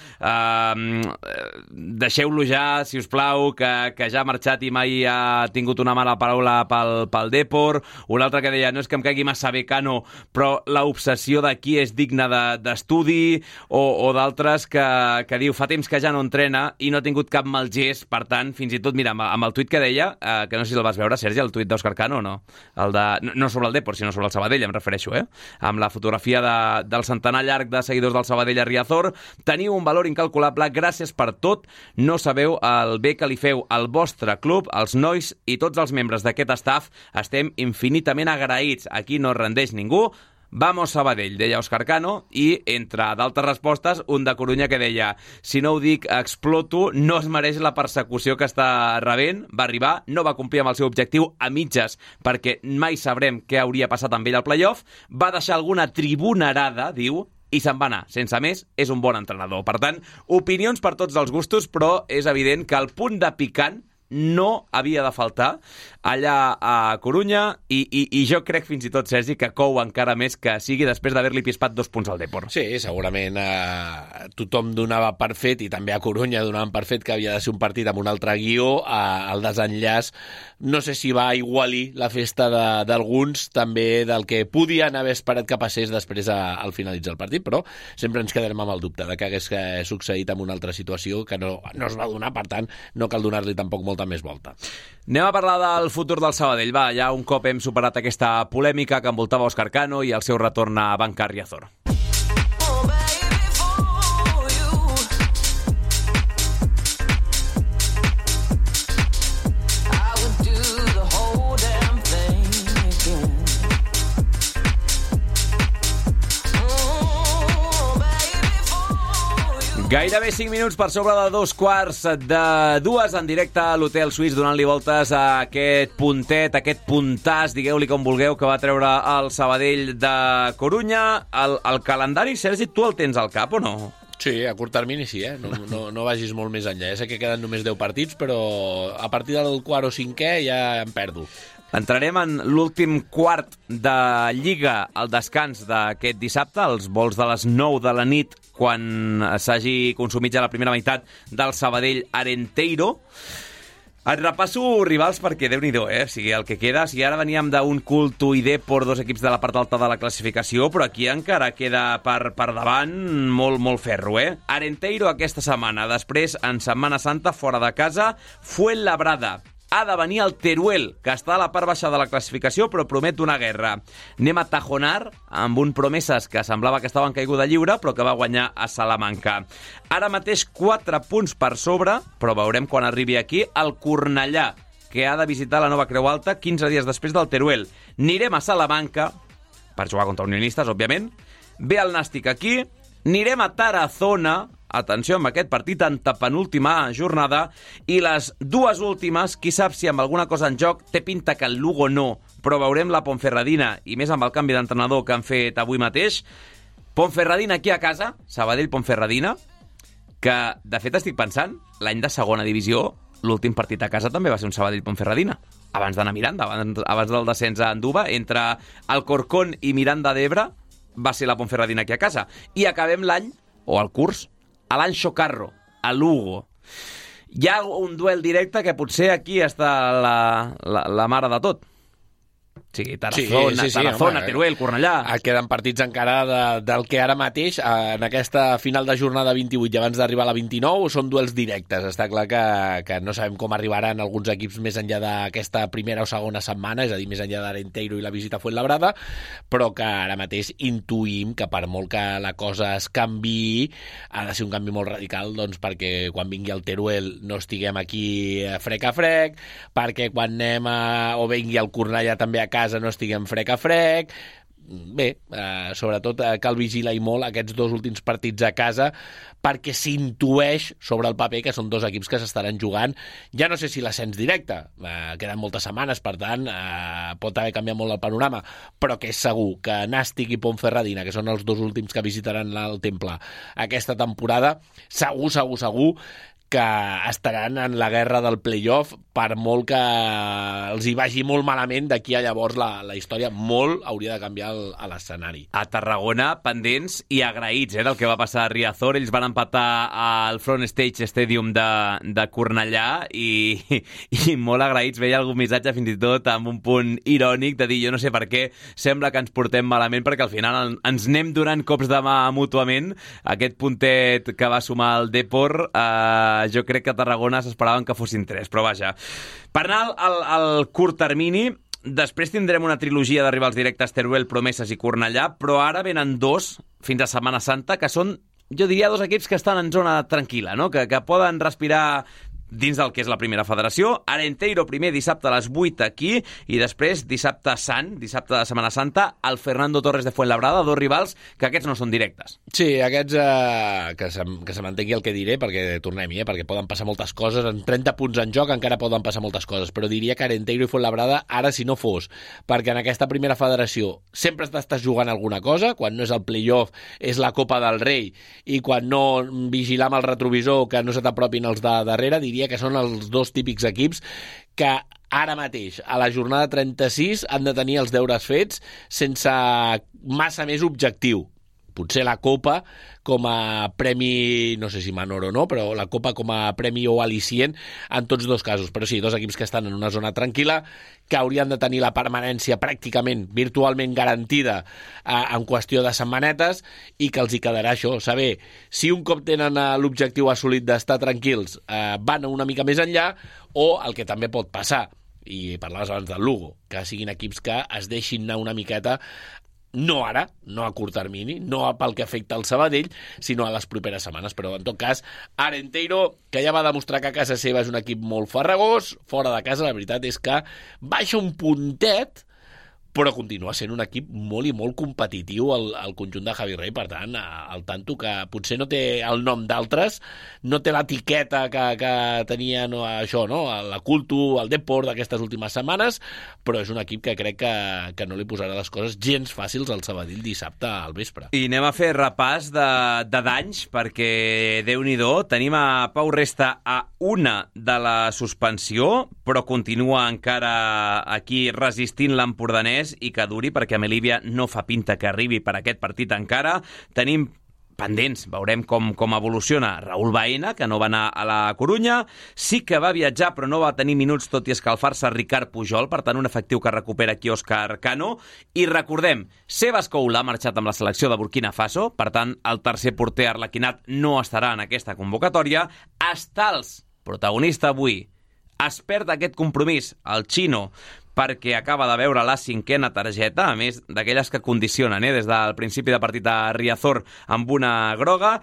deixeu-lo ja, si us plau, que ja ha marxat i mai ha tingut una mala paraula pel Depor, un altre que deia no és que em caigui massa bé Cano, Oscar-Cano, però l'obsessió de qui és digne d'estudi o d'altres que diu fa temps que ja no entrena i no ha tingut cap mal gest, per tant, fins i tot, mira, amb el tuit que deia, que no sé si el vas veure, Sergi, el tuit d'Oscar-Cano o no? No sobre el Depor, sinó sobre el Sabadell, em refereixo, amb la fotografia del centenar llarg de seguidors del Sabadell a Riazor. Teniu un valor incalculable, gràcies per tot, no sabeu el bé que li feu al vostre club, als nois i tots els membres d'aquest staff, estem infinitament agraïts. Aquí no es rendeix ningú. Vamos Sabadell, deia Oscar-Cano, i entre d'altres respostes, un de Corunya que deia si no ho dic, exploto, no es mereix la persecució que està rebent, va arribar, no va complir amb el seu objectiu a mitges, perquè mai sabrem què hauria passat amb ell al playoff, va deixar alguna tribunarada, diu, i se'n va anar. Sense més, és un bon entrenador. Per tant, opinions per tots els gustos, però és evident que el punt de picant no havia de faltar allà a Corunya i jo crec fins i tot, Sergi, que cou encara més que sigui després d'haver-li pispat 2 punts al Depor. Sí, segurament tothom donava per fet, i també a Corunya donaven per fet que havia de ser un partit amb un altre guió. El desenllaç no sé si va igualir la festa d'alguns, també del que podien haver esperat que passés després al finalitzar el partit, però sempre ens quedarem amb el dubte de que hagués succeït en una altra situació que no es va donar, per tant no cal donar-li tampoc molta més volta. Anem a parlar del futur del Sabadell. Va, ja un cop hem superat aquesta polèmica que envoltava Oscar-Cano i el seu retorn a Banca Riazor. Gairebé 5 minuts per sobre de 2:15 en directe a l'Hotel Suís, donant-li voltes a aquest puntet, aquest puntàs, digueu-li com vulgueu, que va treure el Sabadell de Corunya. El calendari, Sergi, tu el tens al cap o no? Sí, a curt termini sí, no vagis molt més enllà. Ja sé que queden només 10 partits, però a partir del quart o cinquè ja em perdo. Entrarem en l'últim quart de Lliga al descans d'aquest dissabte, els vols de les 9 de la nit, quan s'hagi consumit ja la primera meitat del Sabadell Arenteiro. Et repasso rivals perquè Déu-n'hi-do, o sigui, el que queda. Si ara veníem d'un Culto i Depor, 2 equips de la part alta de la classificació, però aquí encara queda per davant molt ferro, Arenteiro aquesta setmana, després en Setmana Santa, fora de casa, Fuenlabrada. Ha de venir el Teruel, que està a la part baixa de la classificació, però promet una guerra. Anem a Tajonar, amb un Promeses que semblava que estava en caiguda lliure, però que va guanyar a Salamanca. Ara mateix 4 punts per sobre, però veurem quan arribi aquí, el Cornellà, que ha de visitar la Nova Creu Alta 15 dies després del Teruel. Anirem a Salamanca, per jugar contra unionistes, òbviament. Ve el Nàstic aquí. Anirem a Tarazona, atenció amb aquest partit, antepenúltima jornada, i les 2 últimes, qui sap si amb alguna cosa en joc, té pinta que el Lugo no, però veurem la Ponferradina, i més amb el canvi d'entrenador que han fet avui mateix. Ponferradina aquí a casa, Sabadell-Ponferradina, que de fet estic pensant, l'any de segona divisió, l'últim partit a casa també va ser un Sabadell-Ponferradina, abans d'anar a Miranda, abans del descens a Anduva, entre Alcorcón i Miranda d'Ebre, va ser la Ponferradina aquí a casa. I acabem l'any, o el curs, a l'Anxo Carro, a Lugo. Hi ha un duel directe que potser aquí està la mare de tot. Sí, Tarazona, Teruel, Cornellà. Queden partits encara del que ara mateix, en aquesta final de jornada 28 i abans d'arribar a la 29, són duels directes. Està clar que no sabem com arribaran alguns equips més enllà d'aquesta primera o segona setmana, és a dir, més enllà d'Arenteiro i la visita a Fuenlabrada, però que ara mateix intuïm que per molt que la cosa es canviï, ha de ser un canvi molt radical, doncs perquè quan vingui el Teruel no estiguem aquí frec a frec, perquè quan anem o vingui el Cornellà també a casa no estiguem frec a frec. Bé, sobretot cal vigilar i molt aquests 2 últims partits a casa, perquè s'intueix sobre el paper que són 2 equips que s'estaran jugant, ja no sé si l'ascens directe, queden moltes setmanes, per tant pot haver canviat molt el panorama, però que és segur que Nàstic i Ponferradina, que són els 2 últims que visitaran el Temple aquesta temporada, segur que estaran en la guerra del playoff per molt que els hi vagi molt malament, d'aquí a llavors la història molt hauria de canviar a l'escenari. A Tarragona, pendents i agraïts del que va passar a Riazor. Ells van empatar al Front Stage Stadium de Cornellà i molt agraïts. Veia algun missatge fins i tot amb un punt irònic de dir, jo no sé per què sembla que ens portem malament, perquè al final ens anem donant cops de mà mútuament. Aquest puntet que va sumar el Depor, jo crec que a Tarragona s'esperaven que fossin 3, però vaja. Per anar al curt termini, després tindrem una trilogia de rivals directes, Teruel, Promeses i Cornellà, però ara venen 2 fins a Setmana Santa, que són, jo diria, 2 equips que estan en zona tranquil·la, no? que poden respirar dins del que és la primera federació. Arenteiro primer dissabte a les 8 aquí, i després dissabte Sant, dissabte de Setmana Santa, el Fernando Torres de Fuenlabrada, 2 rivals que aquests no són directes. Sí, aquests que se mantengui el que diré, perquè tornem-hi, perquè poden passar moltes coses, en 30 punts en joc encara poden passar moltes coses, però diria que Arenteiro i Fuenlabrada, ara si no fos, perquè en aquesta primera federació sempre estàs jugant alguna cosa, quan no és el playoff és la Copa del Rei, i quan no vigilar amb el retrovisor que no se t'apropin els de darrere, diria que són els 2 típics equips que ara mateix, a la jornada 36, han de tenir els deures fets sense massa més objectiu. Potser la Copa com a premi, no sé si menor o no, però la Copa com a premi o al·licient en tots 2 casos. Però sí, 2 equips que estan en una zona tranquil·la, que haurien de tenir la permanència pràcticament, virtualment garantida en qüestió de setmanetes, i que els hi quedarà això, saber si un cop tenen l'objectiu assolit d'estar tranquils van una mica més enllà, o el que també pot passar, i parlaves abans del Lugo, que siguin equips que es deixin anar una miqueta, no ara, no a curt termini, no pel que afecta al Sabadell, sinó a les properes setmanes. Però, en tot cas, Arenteiro, que ja va demostrar que a casa seva és un equip molt farragós, fora de casa la veritat és que baixa un puntet, però continua sent un equip molt i molt competitiu al conjunt de Javi Rey. Per tant, al tanto, que potser no té el nom d'altres, no té l'etiqueta que tenia això, no? La Cultu, el Depor d'aquestes últimes setmanes, però és un equip que crec que no li posarà les coses gens fàcils al Sabadell dissabte al vespre. I anem a fer repàs de danys, perquè Déu-n'hi-do, tenim a Pau Resta a 1 de la suspensió, però continua encara aquí resistint l'empordanès, i que duri, perquè a Melívia no fa pinta que arribi per aquest partit encara. Tenim pendents, veurem com evoluciona Raúl Baena, que no va anar a la Corunya, sí que va viatjar però no va tenir minuts tot i escalfar-se Ricard Pujol, per tant un efectiu que recupera aquí Òscar Cano. I recordem, Sebas Koula ha marxat amb la selecció de Burkina Faso, per tant el tercer porter arlequinat no estarà en aquesta convocatòria. Stals, protagonista avui, es perd aquest compromís, el xino, perquè acaba de veure la 5a targeta, a més d'aquelles que condicionen des del principi de partit a Riazor amb una groga.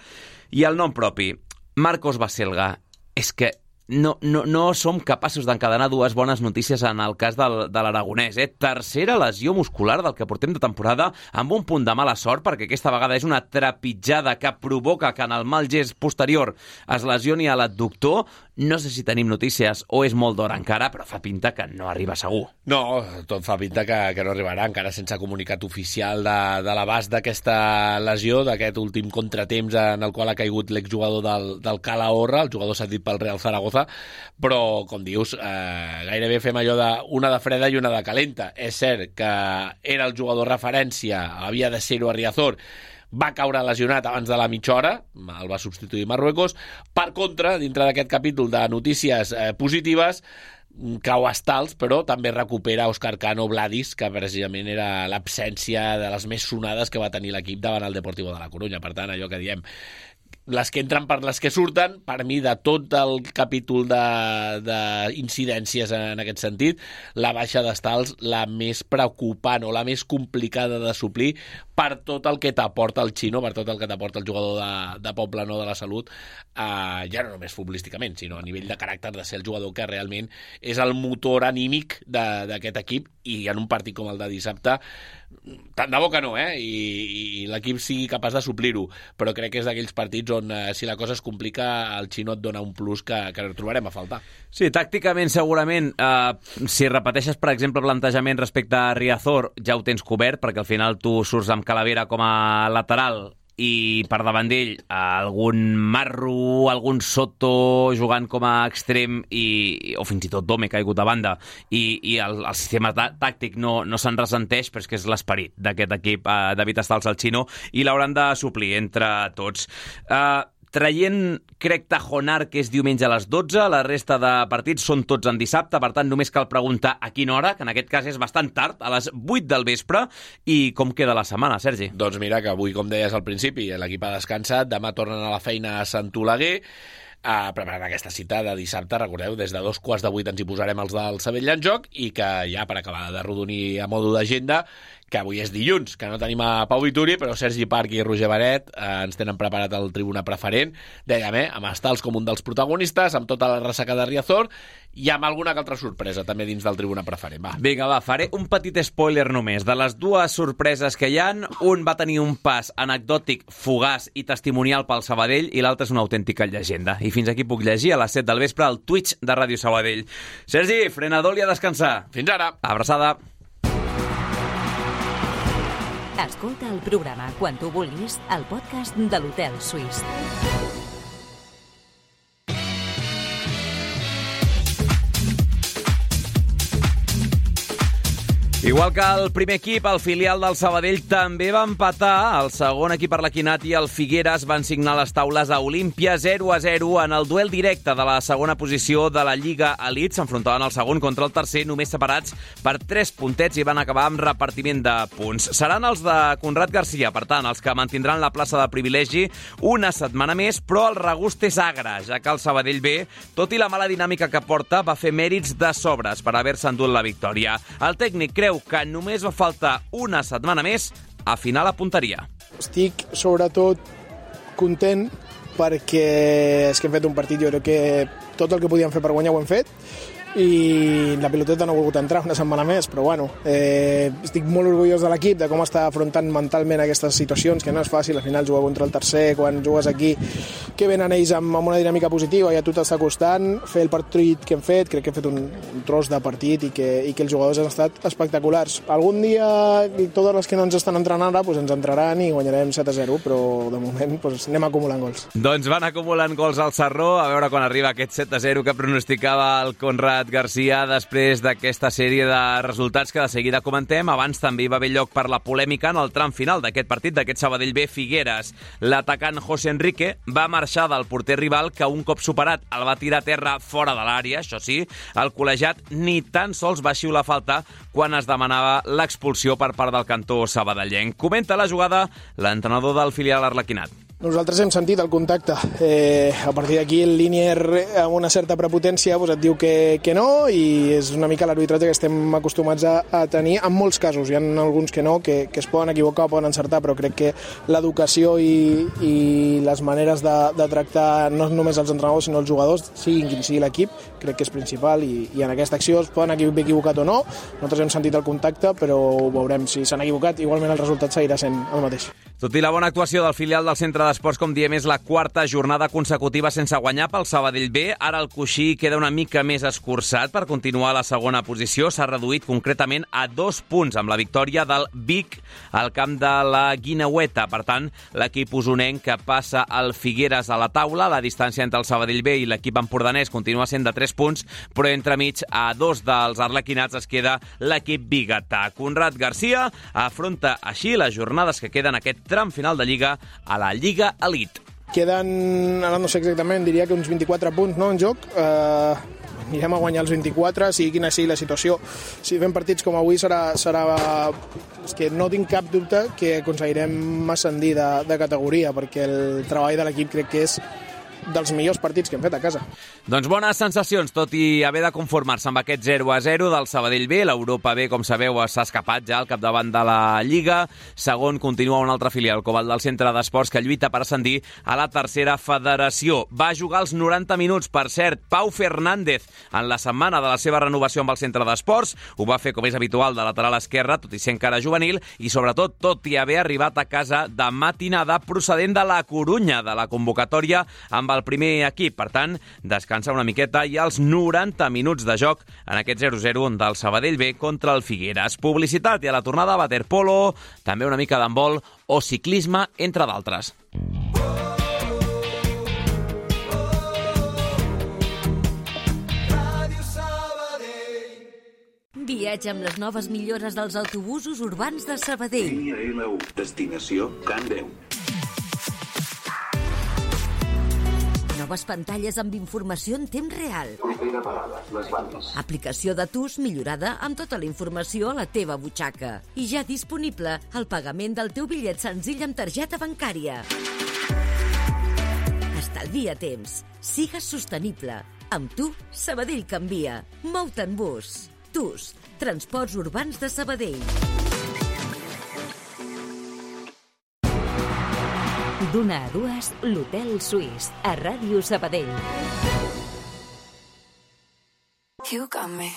I el nom propi, Marcos Baselga. És que no som capaços d'encadenar 2 bones notícies en el cas de l'aragonès. Tercera lesió muscular del que portem de temporada, amb un punt de mala sort, perquè aquesta vegada és una trepitjada que provoca que en el mal gest posterior es lesioni a l'adductor. No sé si tenim notícies o és molt d'hora encara, però fa pinta que no arriba segur. No, tot fa pinta que no arribarà, encara sense comunicat oficial de l'abast d'aquesta lesió, d'aquest últim contratemps en el qual ha caigut l'exjugador del Calahorra, el jugador cedit pel Real Zaragoza, però, com dius, gairebé fem allò una de freda i una de calenta. És cert que era el jugador referència, havia de ser-ho a Riazor, va caure lesionat abans de la mitja hora, el va substituir Marruecos. Per contra, dintre d'aquest capítol de notícies positives, cau Stals, però també recupera Òscar Cano Vladis, que precisament era l'absència de les més sonades que va tenir l'equip davant el Deportivo de la Corunya. Per tant, allò que diem, les que entren per les que surten, per mi, de tot el capítol d'incidències en aquest sentit, la baixa d'Stals, la més preocupant o la més complicada de suplir per tot el que t'aporta el xino, per tot el que t'aporta el jugador de Poblenou de la Salut, ja no només futbolísticament, sinó a nivell de caràcter, de ser el jugador que realment és el motor anímic d'aquest equip, i en un partit com el de dissabte, tant de bo que no, i l'equip sigui capaç de suplir-ho, però crec que és d'aquells partits on, si la cosa es complica, el xino et dona un plus que trobarem a faltar. Sí, tàcticament, segurament, si repeteixes, per exemple, plantejament respecte a Riazor, ja ho tens cobert, perquè al final tu surts amb Calavera com a lateral i per davant d'ell algun Marro, algun Soto jugant com a extrem o fins i tot Dome caigut a banda i el sistema tàctic no se'n ressenteix, però és que és l'esperit d'aquest equip, David Stals al Xino, i l'hauran de suplir entre tots. Traient, crec, Tajonar, que és diumenge a les 12, la resta de partits són tots en dissabte, per tant només cal preguntar a quina hora, que en aquest cas és bastant tard, a les 8 del vespre, i com queda la setmana, Sergi? Doncs mira, que avui, com deies al principi, l'equip ha descansat, demà tornen a la feina a Sant Oleguer, preparant aquesta cita de dissabte. Recordeu, des de 7:15 ens hi posarem els del Sabadell en joc, i que ja, per acabar de rodonir a modo d'agenda, que avui és dilluns, que no tenim a Pau Vituri, però Sergi Parc i Roger Benet ens tenen preparat el Tribuna Preferent, dèiem, amb Stals com un dels protagonistes, amb tota la ressaca de Riazor, i amb alguna altra sorpresa també dins del Tribuna Preferent. Vinga, faré un petit spoiler només. De les dues sorpreses que hi ha, un va tenir un pas anecdòtic, fugaç i testimonial pel Sabadell, i l'altre és una autèntica llegenda. I fins aquí puc llegir a les 7 del vespre al Twitch de Ràdio Sabadell. Sergi, frenador i a descansar. Fins ara. Abraçada. Escolta el programa quan tu vulguis al podcast de l'Hotel Suís. Igual que el primer equip, el filial del Sabadell també va empatar. El segon equip arlequinat i el Figueres van signar les taules a Olímpia 0-0 en el duel directe de la segona posició de la Lliga Elite. S'enfrontaven el segon contra el tercer, només separats per 3 puntets, i van acabar amb repartiment de punts. Seran els de Conrad Garcia, per tant, els que mantindran la plaça de privilegi una setmana més, però el regust és agre, ja que el Sabadell B, tot i la mala dinàmica que porta, va fer mèrits de sobres per haver-se endut la victòria. El tècnic creu que només va faltar una setmana més a afinar la punteria. Estic sobretot content perquè és que hem fet un partit, jo crec que tot el que podíem fer per guanyar ho hem fet, i la piloteta no ha volgut entrar una setmana més, però bueno, estic molt orgullós de l'equip, de com està afrontant mentalment aquestes situacions, que no és fàcil. Al final jugar contra el tercer, quan jugues aquí, que venen ells amb una dinàmica positiva i a tu t'està costant fer el partit que hem fet. Crec que hem fet un tros de partit i que els jugadors han estat espectaculars. Algun dia, totes les que no ens estan entrant ara, doncs ens entraran i guanyarem 7-0, però de moment doncs anem acumulant gols. Doncs van acumulant gols al Sarró, a veure quan arriba aquest 7-0 que pronosticava el Conrad Garcia després d'aquesta sèrie de resultats que de seguida comentem. Abans també hi va haver lloc per la polèmica en el tram final d'aquest partit, d'aquest Sabadell B Figueres. L'atacant José Enrique va marxar del porter rival, que un cop superat el va tirar a terra fora de l'àrea. Això sí, el col·legiat ni tan sols va xiular falta quan es demanava l'expulsió per part del cantó sabadellenc. Comenta la jugada l'entrenador del filial arlequinat. Nosaltres hem sentit el contacte. A partir d'aquí el línier amb una certa prepotència et diu que no, i és una mica l'arbitratge que estem acostumats a tenir en molts casos. Hi ha alguns que no, que es poden equivocar o poden encertar, però crec que l'educació i les maneres de tractar no només els entrenadors sinó els jugadors, siguin quin sigui l'equip, crec que és principal, i en aquesta acció es poden haver equivocat o no. Nosaltres hem sentit el contacte, però veurem si s'han equivocat. Igualment el resultat seguirà sent el mateix. Tot i la bona actuació del filial del Centre d'Esports, com diem, és la quarta jornada consecutiva sense guanyar pel Sabadell B. Ara el coixí queda una mica més escurçat per continuar a la segona posició. S'ha reduït concretament a 2 punts amb la victòria del Vic al camp de la Guineueta. Per tant, l'equip usonenc que passa al Figueres a la taula. La distància entre el Sabadell B i l'equip empordanès continua sent de 3 punts, però entremig a 2 dels arlequinats es queda l'equip biguetà. Conrad Garcia afronta així les jornades que queden aquest tram final de Lliga a la Lliga Elite. Queden, ara no sé exactament, diria que uns 24 punts, no, en joc. Anirem a guanyar els 24, sigui quina sigui la situació. Si fem partits com avui serà... És que no tinc cap dubte que aconseguirem ascendir de categoria, perquè el treball de l'equip crec que és dels millors partits que hem fet a casa. Doncs bones sensacions, tot i haver de conformar-se amb aquest 0-0 del Sabadell B. L'Europa B, com sabeu, s'ha escapat ja al capdavant de la Lliga. Segon continua un altre filial, com el del Centre d'Esports, que lluita per ascendir a la tercera federació. Va jugar els 90 minuts, per cert, Pau Fernández, en la setmana de la seva renovació amb el Centre d'Esports. Ho va fer, com és habitual, de lateral esquerra, tot i ser encara juvenil, i sobretot tot i haver arribat a casa de matinada procedent de la Corunya, de la convocatòria amb el el primer equip. Per tant, descansa una miqueta i als 90 minuts de joc en aquest 0-0 del Sabadell B contra el Figueres. Publicitat i a la tornada waterpolo, també una mica d'handbol o ciclisme, entre d'altres. Viatge amb les noves millores dels autobusos urbans de Sabadell. Línia L1, destinació Can 10. Noves pantalles amb informació en temps real. Propera parada, les bandes. Aplicació de TUS millorada amb tota la informació a la teva butxaca. I ja disponible el pagament del teu bitllet senzill amb targeta bancària. Estalvia temps. Sigues sostenible. Amb tu, Sabadell canvia. Mou-te en bus. TUS, Transports Urbans de Sabadell. D'una a dues, l'Hotel Suís, a Ràdio Sabadell. You got me.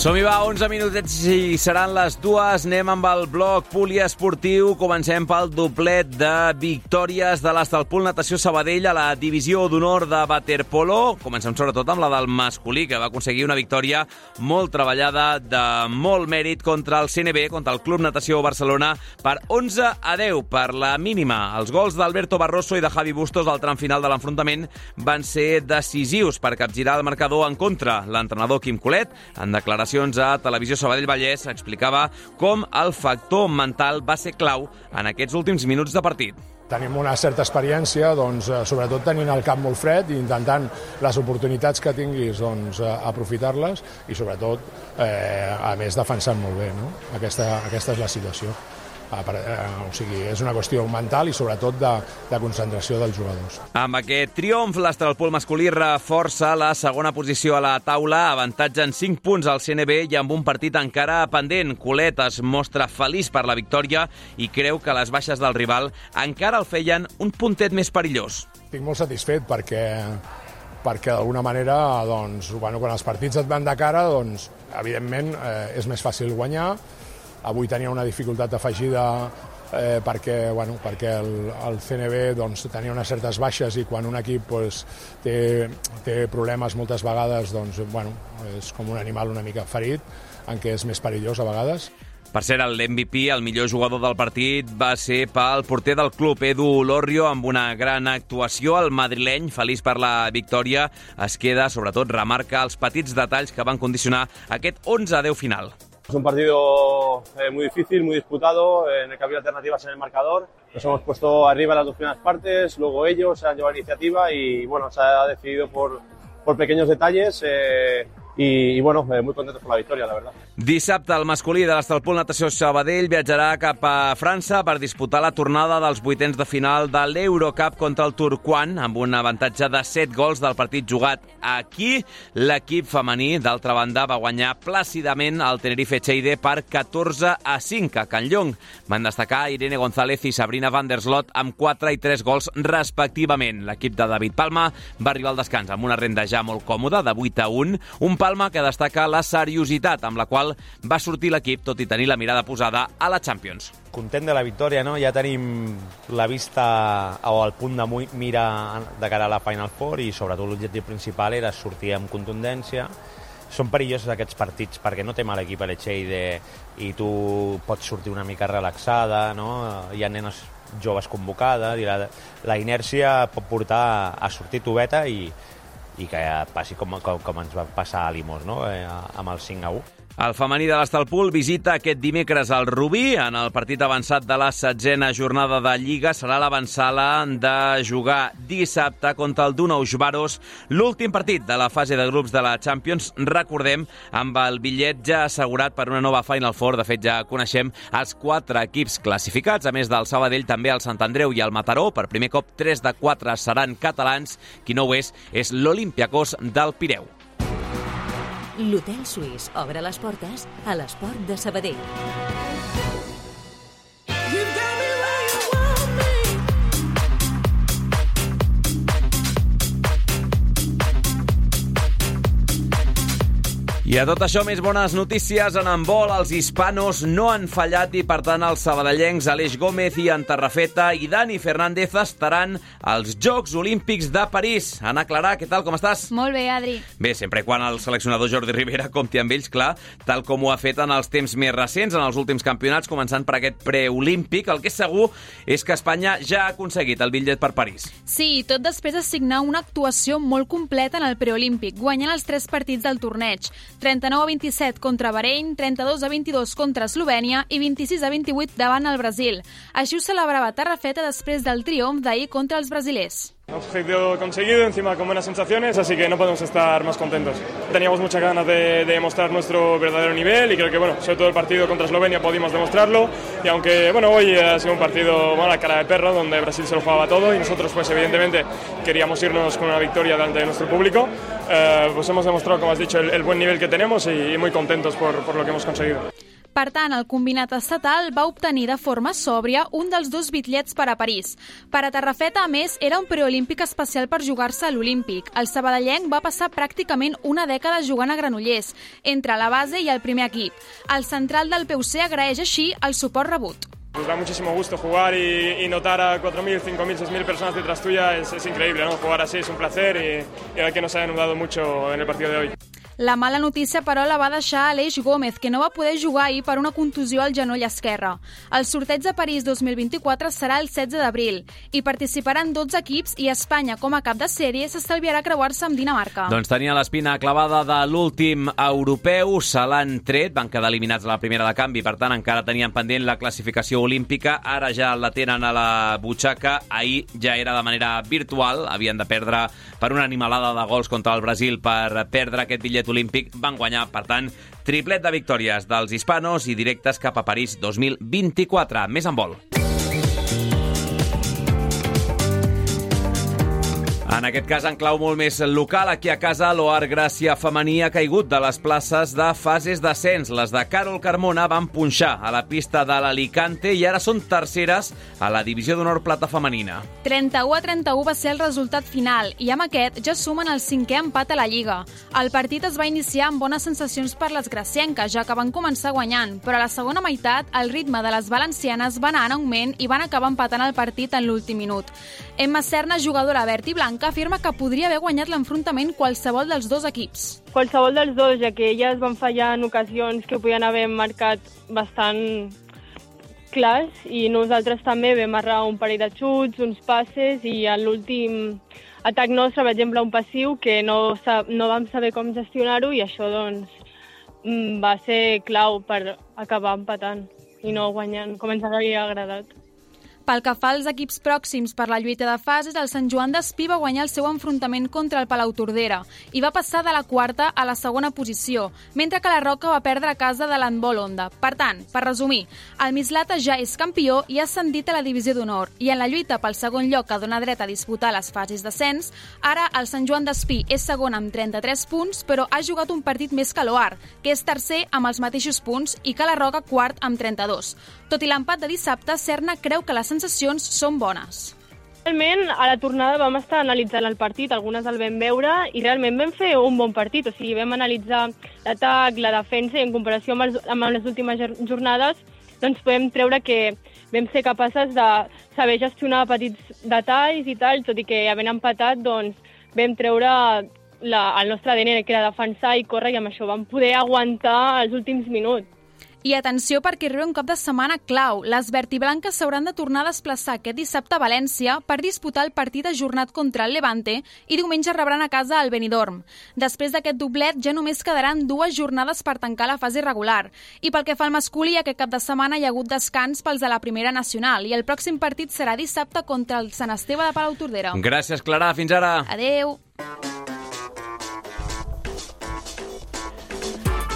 Som-hi, va, 11 minutets i seran les 2. Anem amb el bloc poliesportiu. Comencem pel doblet de victòries de l'Estalpol Natació Sabadell a la divisió d'honor de waterpolo. Comencem sobretot amb la del masculí, que va aconseguir una victòria molt treballada, de molt mèrit, contra el CNB, contra el Club Natació Barcelona, per 11-10, per la mínima. Els gols d'Alberto Barroso i de Javi Bustos al tram final de l'enfrontament van ser decisius per capgirar el marcador en contra. L'entrenador Quim Colet, en declaració a Televisió Sabadell Vallès, explicava com el factor mental va ser clau en aquests últims minuts de partit. Tenim una certa experiència, doncs, sobretot tenint el cap molt fred i intentant les oportunitats que tinguis, doncs, aprofitar-les i sobretot, a més, defensant molt bé, no? Aquesta és la situació. O sigui, és una qüestió mental i sobretot de concentració dels jugadors. Amb aquest triomf, l'Estalpol masculí reforça la segona posició a la taula, avantatge en 5 punts al CNB i amb un partit encara pendent. Colet es mostra feliç per la victòria i creu que les baixes del rival encara el feien un puntet més perillós. Estic molt satisfet perquè d'alguna manera, doncs, quan els partits et van de cara, doncs, evidentment, és més fàcil guanyar. Avui tenia una dificultat afegida perquè el CNB, doncs, tenia unes certes baixes i quan un equip, doncs, té problemes moltes vegades, doncs, és com un animal una mica ferit, en què és més perillós a vegades. Per cert, l'MVP, el millor jugador del partit, va ser pel porter del club, Edu Lorrio, amb una gran actuació. El madrileny, feliç per la victòria, es queda, sobretot, remarca els petits detalls que van condicionar aquest 11-10 final. Es un partido muy difícil, muy disputado, en el que había alternativas en el marcador. Nos hemos puesto arriba en las dos primeras partes, luego ellos se han llevado la iniciativa y bueno, se ha decidido por pequeños detalles i bueno, muy contentos por la victòria, la verdad. Dissabte, el masculí de l'Estalpol Natació Sabadell viatjarà cap a França per disputar la tornada dels vuitens de final de l'Eurocup contra el Tourcoing, amb un avantatge de 7 gols del partit jugat aquí. L'equip femení, d'altra banda, va guanyar plàcidament el Tenerife Cheide per 14-5 a Can Llong. Van destacar Irene González i Sabrina van der Slot amb 4 i 3 gols respectivament. L'equip de David Palma va arribar al descans amb una renda ja molt còmoda de 8-1, un Palma que destaca la seriositat amb la qual va sortir l'equip, tot i tenir la mirada posada a la Champions. Content de la victòria, no? Ja tenim la vista o el punt de mira de cara a la Final Four i sobretot l'objectiu principal era sortir amb contundència. Són perillosos aquests partits perquè no té mal equip a l'Echeide i tu pots sortir una mica relaxada, no? Hi ha nenes joves convocades i la inèrcia pot portar a sortir toveta i que passi com ens va passar a Limos, no? Amb el 5-1. El femení de l'Estalpol visita aquest dimecres al Rubí. En el partit avançat de la 7a jornada de Lliga serà l'avançala de jugar dissabte contra el Donauj Baros, l'últim partit de la fase de grups de la Champions, recordem, amb el bitllet ja assegurat per una nova Final Four. De fet, ja coneixem els 4 equips classificats. A més del Sabadell, també el Sant Andreu i el Mataró. Per primer cop, 3 de 4 seran catalans. Qui no ho és l'Olympiacos del Pireu. L'Hotel Suís obre les portes a l'esport de Sabadell. I a tot això, més bones notícies. En handbol, els hispanos no han fallat i, per tant, els sabadellencs Aleix Gómez i Tarrafeta i Dani Fernández estaran als Jocs Olímpics de París. Anna Clarà, què tal, com estàs? Molt bé, Adri. Bé, sempre quan el seleccionador Jordi Rivera compti amb ells, clar, tal com ho ha fet en els temps més recents, en els últims campionats, començant per aquest preolímpic. El que és segur és que Espanya ja ha aconseguit el bitllet per París. Sí, tot després de signar una actuació molt completa en el preolímpic, guanyant els 3 partits del torneig. 39-27 contra Bahrein, 32-22 contra Eslovènia i 26-28 davant el Brasil. Així ho celebrava Tarrafeta després del triomf d'ahir contra els brasilers. Objetivo conseguido, encima con buenas sensaciones, así que no podemos estar más contentos. Teníamos muchas ganas de demostrar nuestro verdadero nivel y creo que, sobre todo el partido contra Eslovenia pudimos demostrarlo. Y aunque, hoy ha sido un partido a cara de perro, donde Brasil se lo jugaba todo y nosotros, evidentemente, queríamos irnos con una victoria delante de nuestro público, pues hemos demostrado, como has dicho, el buen nivel que tenemos y muy contentos por lo que hemos conseguido. Per tant, el combinat estatal va obtenir de forma sòbria un dels 2 bitllets per a París. Per a Tarrafeta, a més, era un preolímpic especial per jugar-se a l'Olímpic. El sabadellenc va passar pràcticament una dècada jugant a Granollers, entre la base i el primer equip. El central del PUC agraeix així el suport rebut. Nos da muchísimo gusto jugar y notar a 4.000, 5.000, 6.000 personas detrás tuya es increíble, ¿no? Jugar así es un placer y a que nos ha ayudado mucho en el partido de hoy. La mala notícia, però, la va deixar Aleix Gómez, que no va poder jugar ahir per una contusió al genoll esquerre. El sorteig de París 2024 serà el 16 d'abril i participaran 12 equips i Espanya, com a cap de sèrie, s'estalviarà creuar-se amb Dinamarca. Doncs tenia l'espina clavada de l'últim europeu, se l'han tret, van quedar eliminats a la primera de canvi, per tant encara tenien pendent la classificació olímpica, ara ja la tenen a la butxaca, ahir ja era de manera virtual, havien de perdre per una animalada de gols contra el Brasil per perdre aquest bitllet olímpic, van guanyar, per tant, triplet de victòries dels hispanos i directes cap a París 2024. Més en vol. En aquest cas, en clau molt més local, aquí a casa, l'Oar Gràcia femení ha caigut de les places de fases d'ascens. Les de Carol Carmona van punxar a la pista de l'Alicante i ara són terceres a la divisió d'honor plata femenina. 31-31 va ser el resultat final i amb aquest ja sumen el 5è empat a la Lliga. El partit es va iniciar amb bones sensacions per les gracienques, ja que van començar guanyant, però a la segona meitat el ritme de les valencianes va anar en augment i van acabar empatant el partit en l'últim minut. Emma Serna, jugadora verd i blanca, afirma que podria haver guanyat l'enfrontament qualsevol dels 2 equips. Qualsevol dels 2, ja que elles van fallar en ocasions que podien haver marcat bastant clars i nosaltres també vam errar un parell de xuts, uns passes i en l'últim atac nostre, per exemple, un passiu que no vam saber com gestionar-ho i això va ser clau per acabar empatant i no guanyant com ens hauria agradat. Pel que fa als equips pròxims per la lluita de fases, el Sant Joan d'Espí va guanyar el seu enfrontament contra el Palautordera i va passar de la 4a a la 2a posició, mentre que la Roca va perdre a casa de l'handbol Onda. Per tant, per resumir, el Mislata ja és campió i ha ascendit a la divisió d'honor i en la lluita pel segon lloc que dona dret a disputar les fases d'ascens, ara el Sant Joan d'Espí és segon amb 33 punts, però ha jugat un partit més que l'Oar, que és tercer amb els mateixos punts i que la Roca quart amb 32. Tot i l'empat de dissabte, Serna creu que les sensacions són bones. Realment, a la tornada vam estar analitzant el partit, algunes el vam veure i realment vam fer un bon partit. O sigui, vam analitzar l'atac, la defensa i en comparació amb les últimes jornades doncs podem treure que vam ser capaces de saber gestionar petits detalls i tal, tot i que havent empatat doncs vam treure el nostre ADN, que era defensar i córrer, i amb això vam poder aguantar els últims minuts. I atenció perquè arriba un cap de setmana clau. Les vertiblanques s'hauran de tornar a desplaçar aquest dissabte a València per disputar el partit ajornat contra el Levante i diumenge rebran a casa el Benidorm. Després d'aquest doblet ja només quedaran 2 jornades per tancar la fase regular. I pel que fa al masculí, aquest cap de setmana hi ha hagut descans pels de la primera nacional i el pròxim partit serà dissabte contra el Sant Esteve de Palautordera. Gràcies, Clara. Fins ara. Adeu.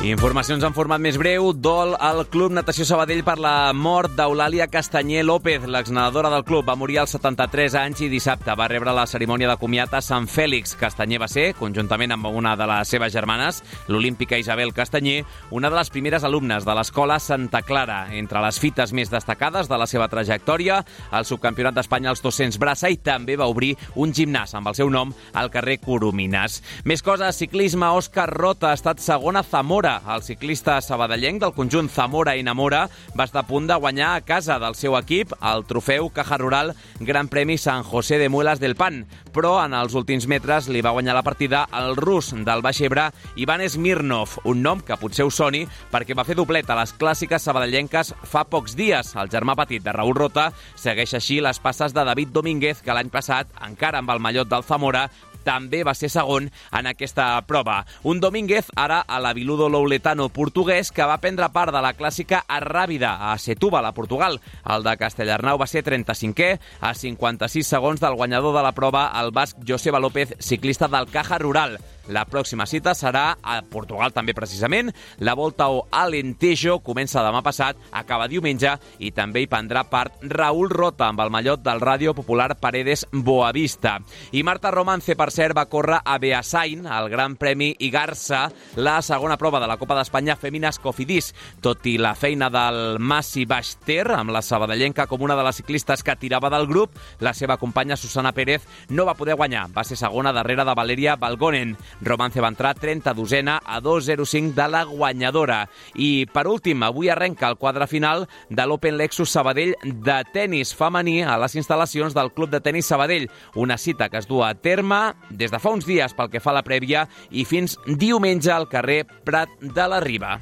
Informacions en format més breu. Dol al Club Natació Sabadell per la mort d'Eulàlia Castanyer López, l'exnedadora del club. Va morir als 73 anys i dissabte va rebre la cerimònia de comiat a Sant Fèlix. Castanyer va ser, conjuntament amb una de les seves germanes, l'olímpica Isabel Castanyer, una de les primeres alumnes de l'escola Santa Clara. Entre les fites més destacades de la seva trajectòria, el subcampionat d'Espanya als 200 braça i també va obrir un gimnàs amb el seu nom al carrer Coromines. Més coses, ciclisme. Òscar Rota ha estat segon a Zamora. El ciclista sabadellenc del conjunt Zamora i Namora va estar a punt de guanyar a casa del seu equip el trofeu Caja Rural Gran Premi San José de Muelas del Pan, però en els últims metres li va guanyar la partida el rus del Baix Ebre, Ivan Smirnov, un nom que potser us soni perquè va fer doblet a les clàssiques sabadellenques fa pocs dies. El germà petit de Raúl Rota segueix així les passes de David Domínguez, que l'any passat, encara amb el mallot del Zamora, també va ser segon en aquesta prova. Un Domínguez, ara a l'Aviludo Louletano portuguès, que va prendre part de la clàssica Arràbida a Setúbal, a Portugal. El de Castellarnau va ser 35è, a 56 segons del guanyador de la prova, el basc Joseba López, ciclista del Caja Rural. La pròxima cita serà a Portugal també precisament. La Volta ao Alentejo comença demà passat, acaba diumenge i també hi prendrà part Raúl Rota amb el mallot del Ràdio Popular Paredes Boavista. I Marta Romance, per cert, va córrer a Beasain, al Gran Premi Igarsa, la segona prova de la Copa d'Espanya Fèmines Cofidis. Tot i la feina del Massi Baixter, amb la sabadellenca com una de les ciclistes que tirava del grup, la seva companya Susana Pérez no va poder guanyar. Va ser segona darrere de Valeria Balgonen. Romance va entrar 32a a 2.05 de la guanyadora. I, per últim, avui arrenca el quadre final de l'Open Lexus Sabadell de tenis femení a les instal·lacions del Club de Tenis Sabadell. Una cita que es du a terme des de fa uns dies pel que fa a la prèvia i fins diumenge al carrer Prat de la Riba.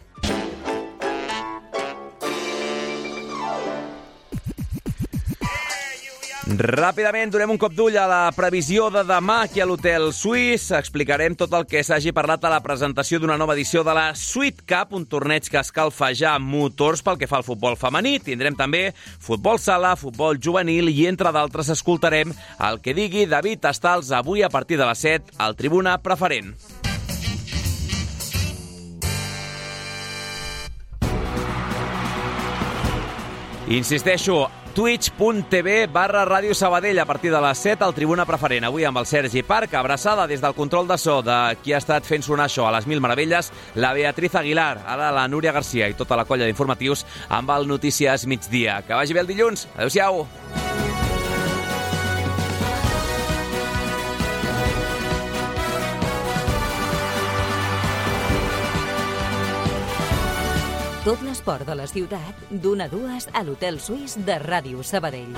Ràpidament donem un cop d'ull a la previsió de demà aquí a l'Hotel Suís. Explicarem tot el que s'hagi parlat a la presentació d'una nova edició de la Sweet Cup, un torneig que escalfa ja motors pel que fa al futbol femení. Tindrem també futbol sala, futbol juvenil i, entre d'altres, escoltarem el que digui David Estals avui a partir de les 7 al Tribuna Preferent. Insisteixo, twitch.tv/Ràdio Sabadell a partir de les 7 al Tribuna Preferent. Avui amb el Sergi Parc, abraçada des del control de so de qui ha estat fent sonar això a les Mil Meravelles, la Beatriz Aguilar, ara la Núria Garcia i tota la colla d'informatius amb el Notícies Migdia. Que vagi bé el dilluns. Adéu-siau. Tot l'esport de la ciutat, d'1 a 2 a l'Hotel Suís de Ràdio Sabadell.